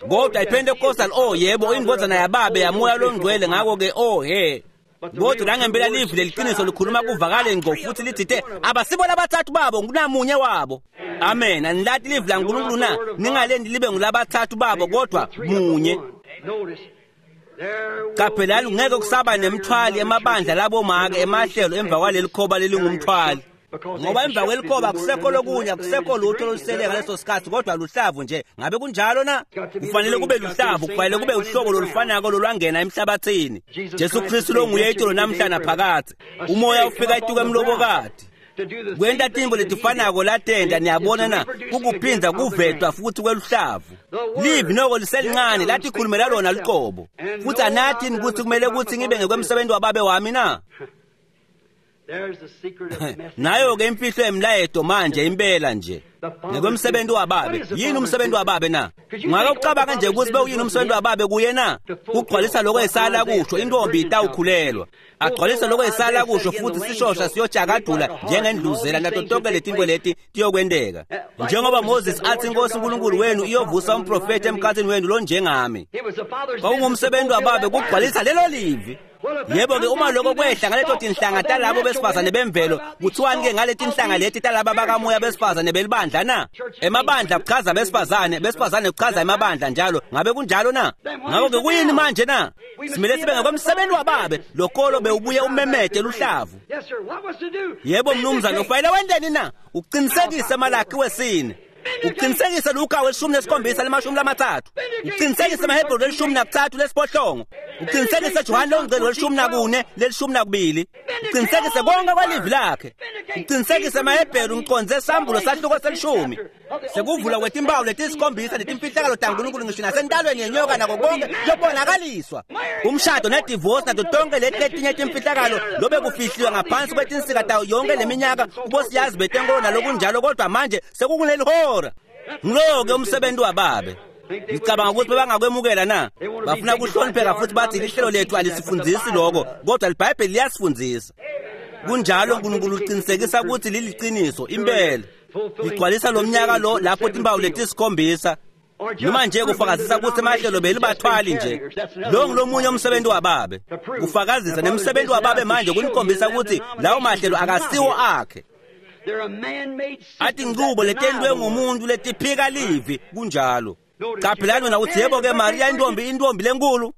Kodwa iPentecostal, oh yebo, indvodzana yababe yamoya longcwele, ngakho-ke oh he. Kodwa langempela livi leliqiniso likhuluma kuvakale ngqo futhi lithite abasibo labathathu babo, kunamunye wabo. Amen. Anilati livi laNkulunkulu na? Ningalendi libe ngulabathathu babo, kodwa munye. Qaphelani, ngeke kusaba nemthwali emabandla labomake emahlelo emva kwaleli khoba lelingumthwali. Ngoba emva kwelikhoba akusekho lokunye, akusekho lutho olusele ngaleso sikhathi, kodwa luhlavu nje. Ngabe kunjalo na? Kufanele kube luhlavu, kufanele kube uhlobo lolufanako lolwangena emhlabathini. Jesu Kristu longuye itolo namhla naphakadze. Umoya ufika etuka emlobokati kwenta tintfo letifanako latenta. Niyabona na, kukuphinza kuvetwa futhi kweluhlavu. Livi noko liselincane latikhulumela lona luqobo. Futhi anathini ukuthi kumele ukuthi ngibe ngekwemsebenzi wababe wami na? Nayo-ke imfihlo yemlayeto manje impela nje ngekwemsebenzi wababe. Yini umsebenzi wababe na? Ungake ucabanga nje ukuthi bewuyini umsebenzi wababe kuye na? Kugcwalisa lokho esala kusho, intombi itawukhulelwa. Agcwalise lokho esala kusho, futhi sishosha siyojakadula njengendluzela, nato tonke letinto leti tiyokwenteka. Njengoba Moses athi, iNkosi uNkulunkulu wenu iyovusa umprofethi emkhathini wenu lonjengami. Kwakungumsebenzi wababe kugcwalisa lelo livi. Yebo-ke, uma lokho kwehla ngaleto tinhlanga talabo besifazane bemvelo, kuthiwani-ke ngale tinhlanga leti talaba bakamoya besifazane belibandla na? Emabandla kuchaza besifazane, besifazane kuchaza emabandla njalo. Ngabe kunjalo na? Ngakho-ke kuyini manje na? Simele sibe ngokwemsebenzi wababe, lokolo bewubuye umemede luhlavu. Yebo mnumzane, ufanele wenteni na? Uqinisekise Malaki wesine. Uqinisekise Luka weshumi nesikhombisa lemashumi lamathathu. Uqinisekise Mahebheru lelishumi nakutsatfu lesiphohlongo. Uqinisekise Johane longcwele welishumi nakune lelishumi nakubili. Uqinisekise konke kwelivi lakhe. Uqinisekise Mahebheru, ngiqondze sambulo sahluko selishumi. Sekuvulwa kwetimpawu letisikhombisa netimfihlakalo taNkulunkulu ngisho nasentalweni yenyoka nako konke kuyobonakaliswa. Umshado nedivorce nato tonke leti letinye timfihlakalo lobe kufihliwe ngaphansi kwetinsika tawo yonke leminyaka kubosiyazi betenkolo nalokunjalo, kodwa manje sekukuleli hora. Ngilowo-ke umsebenzi wababe. Ngicabanga ukuthi bebangakwemukela na? Bafuna kuhlonipheka futhi bathi lihlelo lethu alisifundisi lokho, kodwa liBhayibheli liyasifundzisa. Kunjalo, uNkulunkulu uqinisekisa ukuthi liliciniso impela. Ligcwalisa lo mnyaka lo lapho timpawu letisikhombisa noma nje kufakazisa ukuthi emahlelo belibathwali nje. Lo ngulomunye umsebenzi wababe, kufakazisa nemsebenzi wababe manje kunikhombisa ukuthi lawo mahlelo akasiwo akhe. Athi inqubo letentiwe ngumuntu letiphika livi. Kunjalo. Qaphelani wena uthi, yebo-ke Mariya intombi, intombi lenkulu.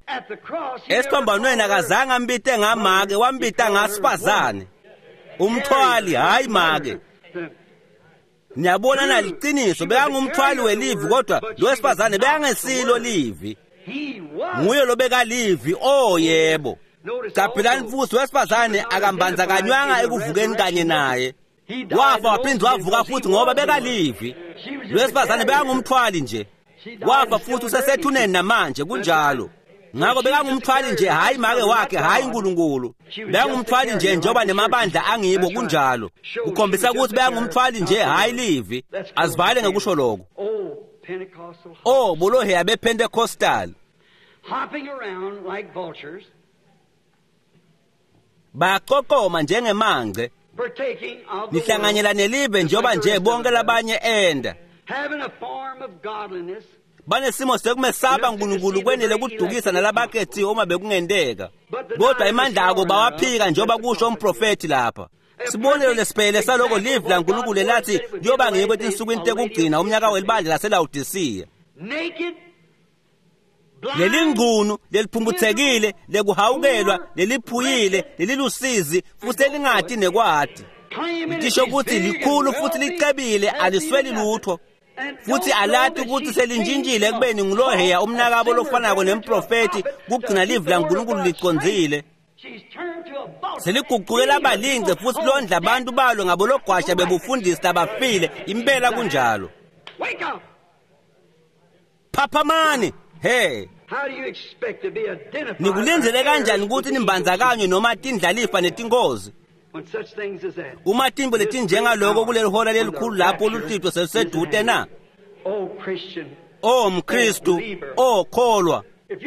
Esiphambanweni akazange ambite ngamake, wambita ngasifazane, umthwali, hayi make. Niyabona na, liciniso bekangumthwali welivi, kodwa lo wesifazane bekangesilo livi. Nguye lobekalivi. Oh yebo. Qaphelani futhi, wesifazane akambanzakanywanga ekuvukeni kanye naye. Wafa waphinde wavuka futhi ngoba bekalivi. Lo wesifazane bekangumthwali nje. Wafa futhi usesethuneni namanje. Kunjalo. Ngakho bekangumthwali nje, hayi make wakhe, hayi uNkulunkulu. Bekangumthwali nje njengoba nemabandla angibo. Kunjalo. Kukhombisa ukuthi bekangumthwali nje, hayi livi. Azivale ngekusho lokho. Oh, boloheya bePentecostal hopping around like vultures, baqoqoma njengemangce, partaking of the nihlanganyela nelive njengoba nje bonke labanye enda, having a form of godliness, banesimo sekumesaba uNkulunkulu kwenele kudukisa nalabakhethiwe uma bekungenteka, kodwa emandla ako bawaphika, njengoba kusho umprofethi lapha. Sibonelo lesiphelele saloko livi laNkulunkulu lathi kuyoba ngiko etinsukwini tekugcina, umnyaka welibandla laseLawodisiya. Naked, blind, Lelingcunu leliphumputhekile, lekuhawukelwa, leliphuyile, lelilusizi futhi elingati nekwati, claiming lisho it is ukuthi big and likhulu futhi wealthy, licebile, alisweli lutho, futhi alati ukuthi selintshintshile ekubeni nguloheya umnakabo lofanako nemprofethi kugcina livi laNkulunkulu licondzile. She's turned to a vulture. Seliguquke labalingce futhi londla abantu balo ngabologwasha bebufundisi labafile. Impela kunjalo. Wake up! Phaphamani he. How do you expect to be identified? Nikulindzele kanjani ukuthi nimbandzakanywe noma tindlalifa netingozi? Uma tintfo letinjengaloko kuleli hora lelikhulu lapho luhlwitfo selusedvute na? O mKhristu, o kholwa,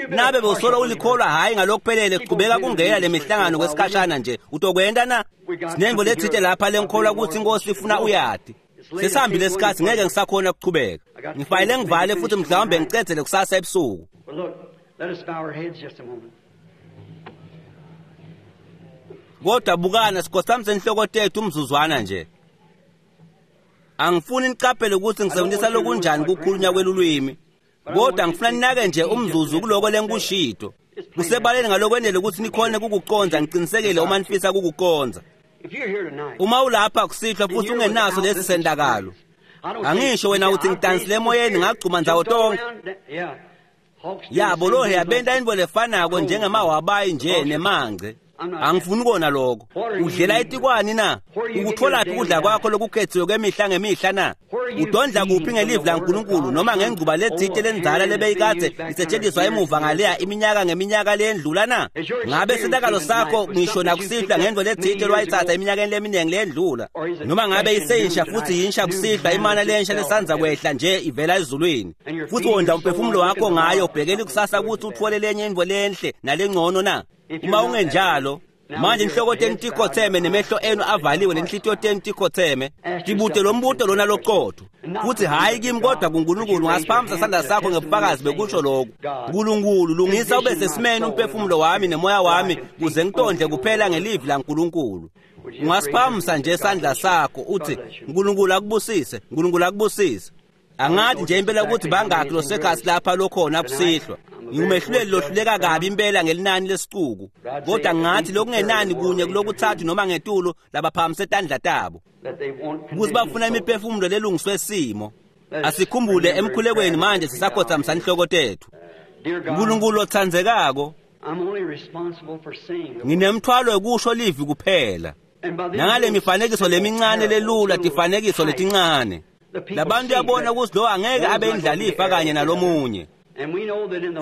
nabe bewusola ulikholwa hhayi ngalokuphelele, qhubeka kungena le mihlangano kwesikhashana nje. Utokwenta na? Sinentfo letsite lapha lenkholwa ukuthi iNkosi ifuna uyati. Sesihambile isikhathi, ngeke ngisakhona kuchubeka. Ngifanele ngivale futhi mhlawumbe ngicedzele kusasa ebusuku. Kodwa bukana, sikhothamise inhloko tethu umzuzwana nje. Angifuni niqaphele ukuthi ngisebenzisa lokunjani kukhulunywa kwelulwimi, kodwa ngifuna ninake nje umzuzu kuloko lengikushito. Kusebaleni ngalokwenele ukuthi nikhone kukuconza, ngiqinisekile uma nifisa kukuconza. Uma ulapha kusihlwa futhi ungenaso lesi sendakalo, angisho wena uthi ngidansile emoyeni ngagcuma ndzawo tonke. Yabo lo yabenta intfo lefanako njengemawabayi nje nemangce. Angifuni kona lokho. Udlela etikwani na? Ukutholaphi ukudla kwakho lokukhethiwe kwemihla ngemihla na? Udondla kuphi ngelivi laNkulunkulu noma ngengcuba letsite lendzala lebeyikadze isetshenziswa emuva ngaleya iminyaka ngeminyaka leyendlula na? Ngabe sentakalo sakho ngisho nakusihlwa ngentfo letsite lwayitsatsa eminyakeni leminingi leyendlula, noma ngabe iseyisha futhi yinsha kusihlwa imana lensha lesandza kwehla nje ivela ezulwini, futhi wondla umphefumulo wakho ngayo ubhekele ikusasa ukuthi uthole lenye intfo lenhle nalengcono na? Uma ungenjalo, manje inhloko tenu tikhotheme nemehlo enu avaliwe nenhlitiyo tenu tikhotheme, tibute lo mbuto lona loqotho futhi hhayi kimi kodwa kuNkulunkulu. Ngasiphakamisa isandla sakho ngebufakazi bekusho lokhu: Nkulunkulu, lungisa ube sesimeni umphefumulo wami nemoya wami kuze ngitondle kuphela ngelivi laNkulunkulu. Ungasiphakamisa nje isandla sakho uthi, Nkulunkulu akubusise, Nkulunkulu akubusise. Angathi nje impela ukuthi bangakhi losekhasi lapha lokhona kusihlwa. Ngingumehluleli lohluleka kabi impela ngelinani lesicuku, kodwa ngathi lokungenani kunye kulokuthathu noma ngetulu labaphakamise tandla tabo ukuthi bafuna imiphefumulo lelungiswe simo. Asikhumbule emkhulekweni manje sisakhothamisa inhloko tethu. Nkulunkulu otsandzekako, nginemthwalo wekusho livi kuphela. Nangale mifanekiso lemincane lelula, tifanekiso letincane, labantu uyabona ukuthi lo angeke abe indlalifa kanye nalomunye.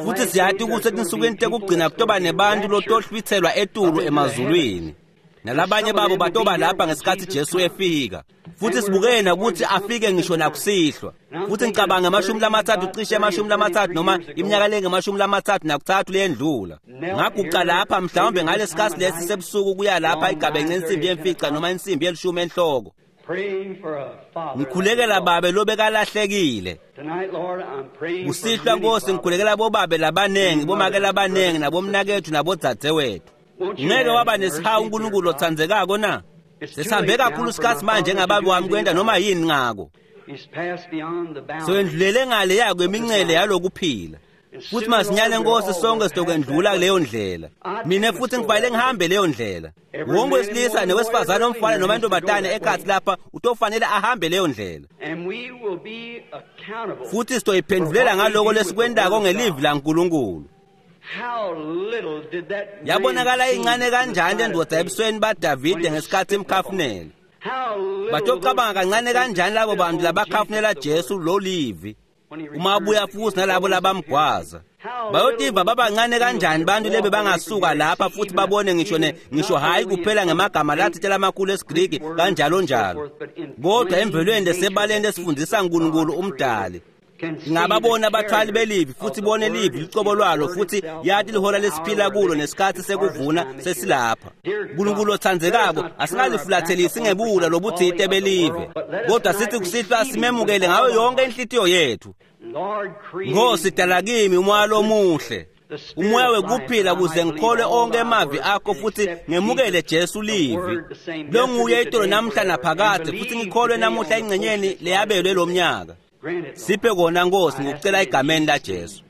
Futhi siyati ukuthi etinsukwini tekugcina kutoba nebantu lotohlwitselwa etulu emazulwini, nalabanye babo batoba lapha ngesikhathi Jesu efika. Futhi sibukene ukuthi afike ngisho nakusihlwa. Futhi ngicabanga 30 cishe 30 noma iminyaka lengama-33 leyendlula, ngaguqa lapha mhlawumbe ngalesikhathi lesi sebusuku kuya lapha igabence insimbi yemfica noma insimbi yelishumi enhloko, ngikhulekela babe lobekalahlekile. Kusihlwa Nkosi, ngikhulekela bobabe labanengi, bomake labanengi, nabomnakethu nabodzadzewethu. Ngeke waba nesihawu uNkulunkulu otsandzekako na? Sesihambe kakhulu isikhathi manje ngababe wami kwenta noma yini ngako. Sewendlulele ngale yako imincele yalokuphila. Futhi masinyane Nkosi sonke sitokwendlula kuleyo ndlela. Mina futhi ngifanele ngihambe leyo ndlela. Wonke wesilisa nowesifazane, omfana noma intombazane ekhathi lapha utofanele ahambe leyo ndlela. Futhi sitoyiphendulela ngaloko lesikwentako ngelivi laNkulunkulu. Yabonakala incane kanjani lendoda ebusweni baDavide ngesikhathi imkhafunela. Batocabanga kancane kanjani labo bantu labakhafunela Jesu lo livi uma abuya futhi nalabo labamgwaza. Bayotiva babancane kanjani bantu lebe bangasuka lapha futhi babone ngisho ngisho hhayi kuphela ngemagama lathite lamakhulu esiGriki kanjalo njalo, kodwa emvelweni lesebaleni lesifundisa uNkulunkulu umdali. Ngingababona abathwali belivi futhi bone livi licobo lwalo futhi yati lihora lesiphila kulo nesikhathi sekuvuna sesilapha. Nkulunkulu otsandzekako, asingalifulatheli ngebula lobutsite belive, kodwa sithi kusihlwa simemukele ngayo yonke inhlitiyo yethu. Nkosi, dala kimi umoya lomuhle, umoya wekuphila, kuze ngikholwe onke emavi akho futhi ngemukele Jesu livi longuye itolo namhla naphakade, futhi ngikholwe namuhla engcenyeni leyabelwe lomnyaka. Siphe kona Nkosi, ngikucela egameni laJesu.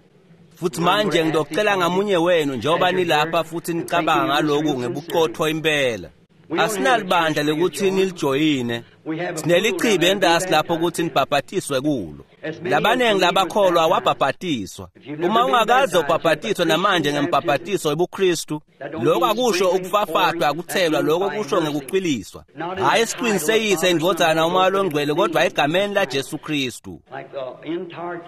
Futhi manje ngidocela ngamunye wenu njengoba nilapha futhi nicabanga ngaloku ngebuqotho impela. Asinalibandla lokuthi nilijoyine. Sinelichibi endasi lapho ukuthi nibhabhatiswe kulo. Labaningi labakholwa wabhabhatiswa. Uma ungakaze ubhabhatiswe namanje ngembhabhatiso webuKristu, lokho akusho ukufafatwa, akuthelwa, lokho kusho ngekucwiliswa. Hhayi esiqwini seyise indvodzana umoya longcwele, kodwa egameni laJesu Kristu.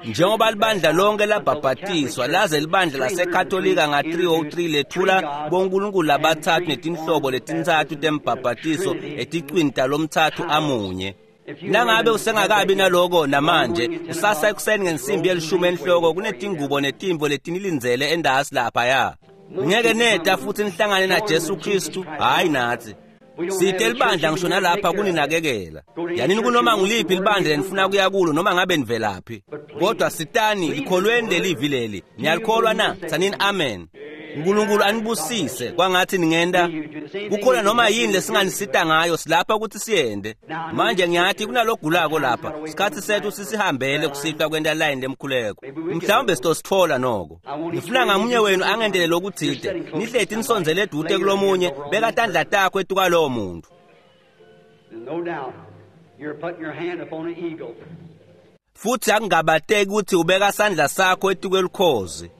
Njengoba libandla lonke labhabhatiswa, laze libandla laseKatolika nga-303 lethula bonkulunkulu labathathu netinhlobo letintsatfu tembhabhatiso eticwini talomtsatfu amunye. Nangabe usengakabi naloko namanje, kusasa ekuseni ngensimbi yelishumi enhloko kunetingubo netimvo letinilindzele endasi laphaya. Ngeke neta futhi nihlangane naJesu Kristu, hhayi nathi. Site libandla ngisho nalapha kuninakekela. Yanini kunoma nguliphi libandla lenifuna kuya kulo noma ngabe nivelaphi. Kodwa sitani likholweni lelivi leli. Niyalikholwa na? Tsanini amen. uNkulunkulu anibusise kwangathi ningenda kukhona noma yini lesinganisita ngayo, silapha ukuthi siyende. Manje ngiyathi kunalogulako lapha, isikhathi sethu sisihambele kusihlwa kwenta line lemkhuleko, mhlawumbe sitosithola noko. Ngifuna ngamunye wenu angendele lokuthide, nihleti nisondzele edude kulomunye, beka tandla takho etukalowo muntu. Futhi akungabateki ukuthi ubeka sandla sakho etukwelukhozi.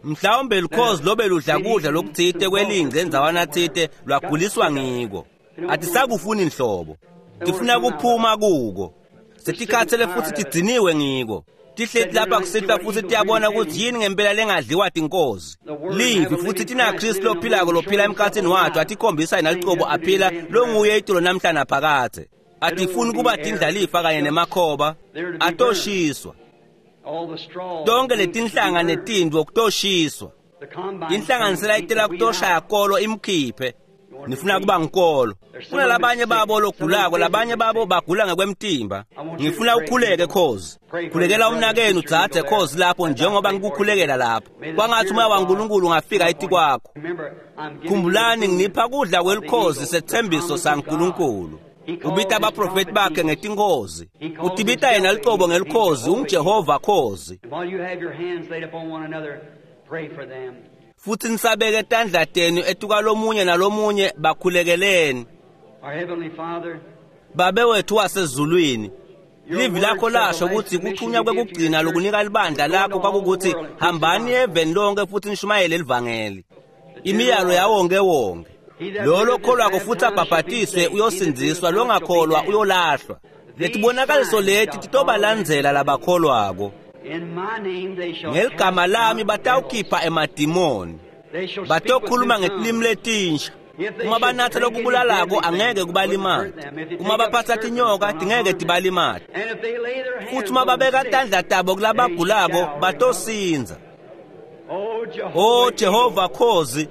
Mhlawumbe lukhozi lobe ludla kudla lokuthite kwelingce endzawana thite lwaguliswa ngiko. Atisakufuni nhlobo, tifuna kuphuma kuko. Setikhathele futhi tidziniwe ngiko. Tihleti lapha kusihlwa futhi tiyabona ukuthi yini ngempela lengadliwa tinkozi. Livi futhi tinaKristu lophilako lophila emkhathini wathu, atikhombisa yena licobo aphila longuye itulo namhla naphakadze. Atifuni kuba tindlalifa kanye nemakhoba, atoshiswa. Tonke letinhlanga netindvo kutoshiswa. Inhlanganisela itela kutoshaya kolo imkhiphe. Nifuna kuba ngikolo. Kunalabanye babo logulako, labanye babo bagula ngekwemtimba. Ngifuna ukhuleke khozi. Khulekela umnakenu dzadze khozi lapho njengoba ngikukhulekela lapho. Kwangathi umoya waNkulunkulu ungafika etikwakho. Khumbulani nginipha kudla kwelukhozi sethembiso saNkulunkulu. Ubita abaprofeti bakhe ngetinkozi. Utibita yena licobo ngelikhozi, unguJehova khozi. Futhi nisabeke tandla tenu etukalomunye nalomunye, bakhulekeleni. Babe wethu wasezulwini, livi lakho lasho ukuthi kuthunywa kwekugcina lokunika libandla lakho kwakukuthi hambani eveni lonke futhi nishumayele livangeli. Imiyalo yawonke wonke. Lo lokholwako futhi abhabhatiswe uyosindziswa, longakholwa uyolahlwa. Letibonakaliso leti titobalandzela labakholwako. Ngeligama lami batawukhipha emadimoni, batokhuluma ngetilimi letinsha. Uma banatha lokubulalako angeke kubalimate, uma baphatsa tinyoka tingeke tibalimate, futhi uma babeka tandla tabo kulabagulako batosindza. O Jehova khozi,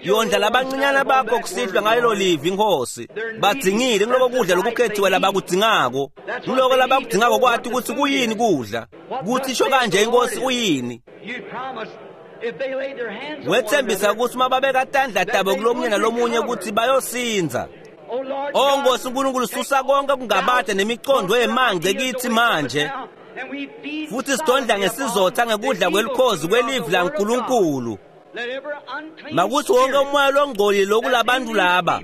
yondla labancinyana bakho kusihlwa ngalelo livi Nkosi. Badzingile ngiloko kudla lokukhethiwe labakudzingako, ngiloko labakudzingako kwati ukuthi kuyini kudla, kuthi sho kanje inkosi uyini. Wethembisa ukuthi uma babeka tandla tabo kulomunye nalomunye ukuthi bayosindza. O Nkosi uNkulunkulu, susa konke kungabade nemicondo yemangce kithi manje, futhi sidondla ngesizotha ngekudla kwelukhozi kwelivi laNkulunkulu. Makuthi wonke umoya longcolile lokulabantu laba,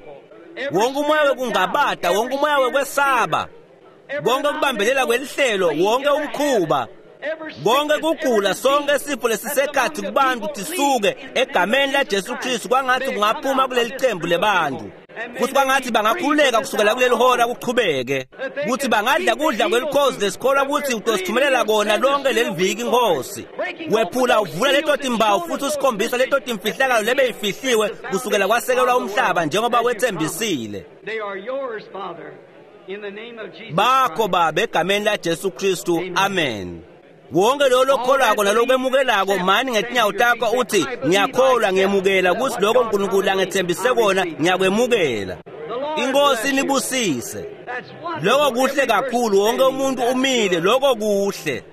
wonke umoya wekungabada, wonke umoya wekwesaba, konke kubambelela kwelihlelo, wonke umkhuba, konke kugula, sonke isifo lesisekhathi kubantu tisuke egameni laJesu Kristu. Kwangathi kungaphuma kuleli qembu lebantu, futhi kwangathi bangakhululeka kusukela kuleli hora kuchubeke, kuthi bangadla kudla kwelukhozi lesikholwa ukuthi utosithumelela kona lonke leli viki Nkosi. Wephula uvula leto timbawu futhi usikhombisa leto timfihlakalo lebeyifihliwe kusukela kwasekelwa umhlaba njengoba wethembisile. Bakho Baba egameni laJesu Kristu, amen. Wonke lo lokholwako nalokwemukelako mani ngetinyawo takho uthi ngiyakholwa, ngiyemukela ukuthi lokho uNkulunkulu angethembise kona ngiyakwemukela. Inkosi inibusise. Lokho kuhle kakhulu, wonke umuntu umile, lokho kuhle.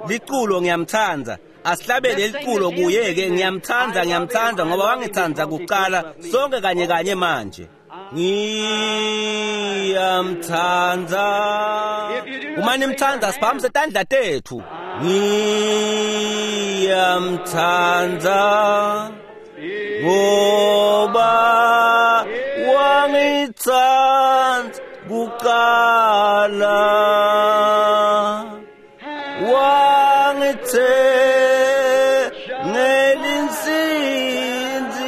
Liculo ngiyamthanda, asihlabele liculo kuye-ke. Ngiyamthanda, ngiyamthanda ngoba wangithanda kuqala. Sonke kanye kanye manje. Ngiyamthanda. Uma nimthanda siphakamise tandla tethu. Ngiyamthanda ngoba wangitsandza kuqala, wangithengela insindziso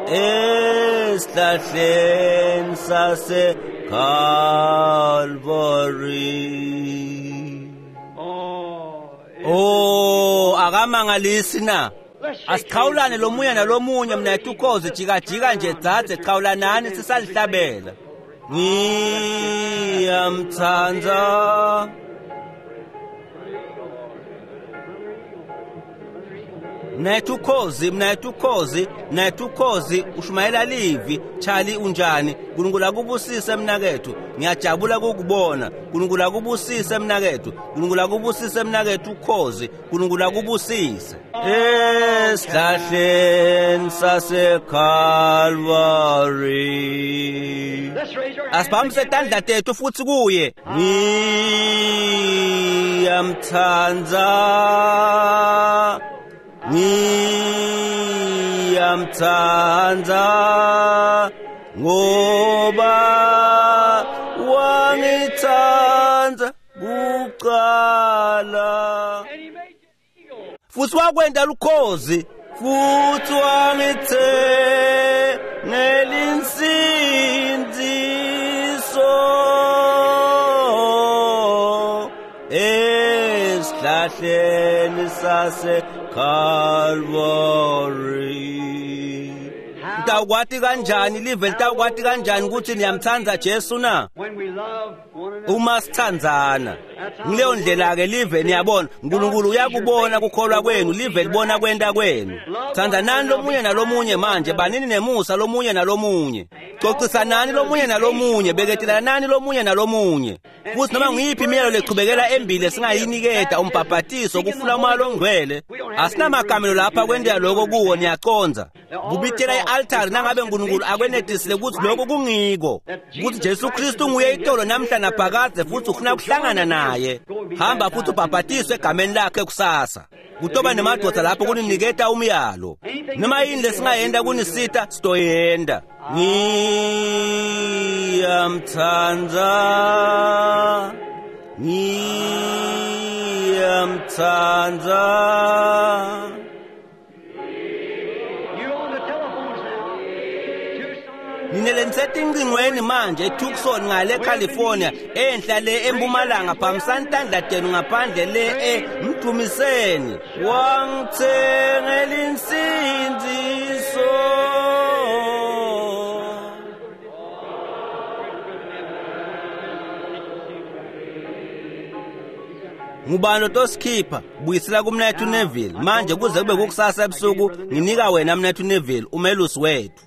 esihlahleni saseKalvari. Oh, akamangalisi na? Asiqhawulane lomunye nalomunye mnethu ukhozi, jikajika nje dzadze, qhawulanani sisalihlabela. Ngiyamtsandza mnethu ukhozi, mnethu ukhozi, mnethu ukhozi, ushumayela livi. Charlie unjani? Nkulunkulu akubusise mnakethu, ngiyajabula kukubona. Nkulunkulu akubusise mnakethu, Nkulunkulu akubusise mnakethu ukhozi, Nkulunkulu akubusise. Esihlahleni saseKalvari. Asibambise tandla tethu futhi kuye. Ngiyamtsandza, ngiyamtsandza, ngoba wangitsandza kuqala. Futhi wakwenda lukhozi, futhi wangithengela insindziso esihlahleni saseKalvari. Nitawukwati kanjani live, nitawukwati kanjani ukuthi niyamtsandza Jesu na? Uma sithandzana. Ngileyo ndlela-ke live niyabona, Nkulunkulu uyakubona kukholwa kwenu, live libona kwenta kwenu. Thandzanani lomunye nalomunye manje, banini nemusa lomunye nalomunye. Cocisanani lomunye nalomunye, beketelanani lomunye nalomunye. Futhi noma nguyiphi imiyalo lechubekela embili singayiniketa umbhabhatiso kufuna umoya longcwele. Asinamakamelo lapha kwentela lokho kuwo, niyacondza. Kubitela i-altari nangabe Nkulunkulu akwenetisile ukuthi lokho kungiko, ukuthi Jesu Kristu nguye itolo namhla naphakadze, futhi ufuna kuhlangana naye. Hamba futhi ubhabhatiswe egameni lakhe kusasa. Kutoba nemadoda lapho kuniniketa umyalo. Noma yini lesingayenda kunisita sitoyenda. Ngiyamtsandza, ngiyamtsandza. Nine lenisetingcingweni manje eTucson ngale California, enhla le eMpumalanga, phambisani tandla tenu ngaphandle le emdumiseni. Wangithengela insindziso. Ngubani otosikhipha? Buyisela kumnethu Neville. Manje kuze kube kukusasa ebusuku, nginika wena mnethu Neville, umelusi wethu.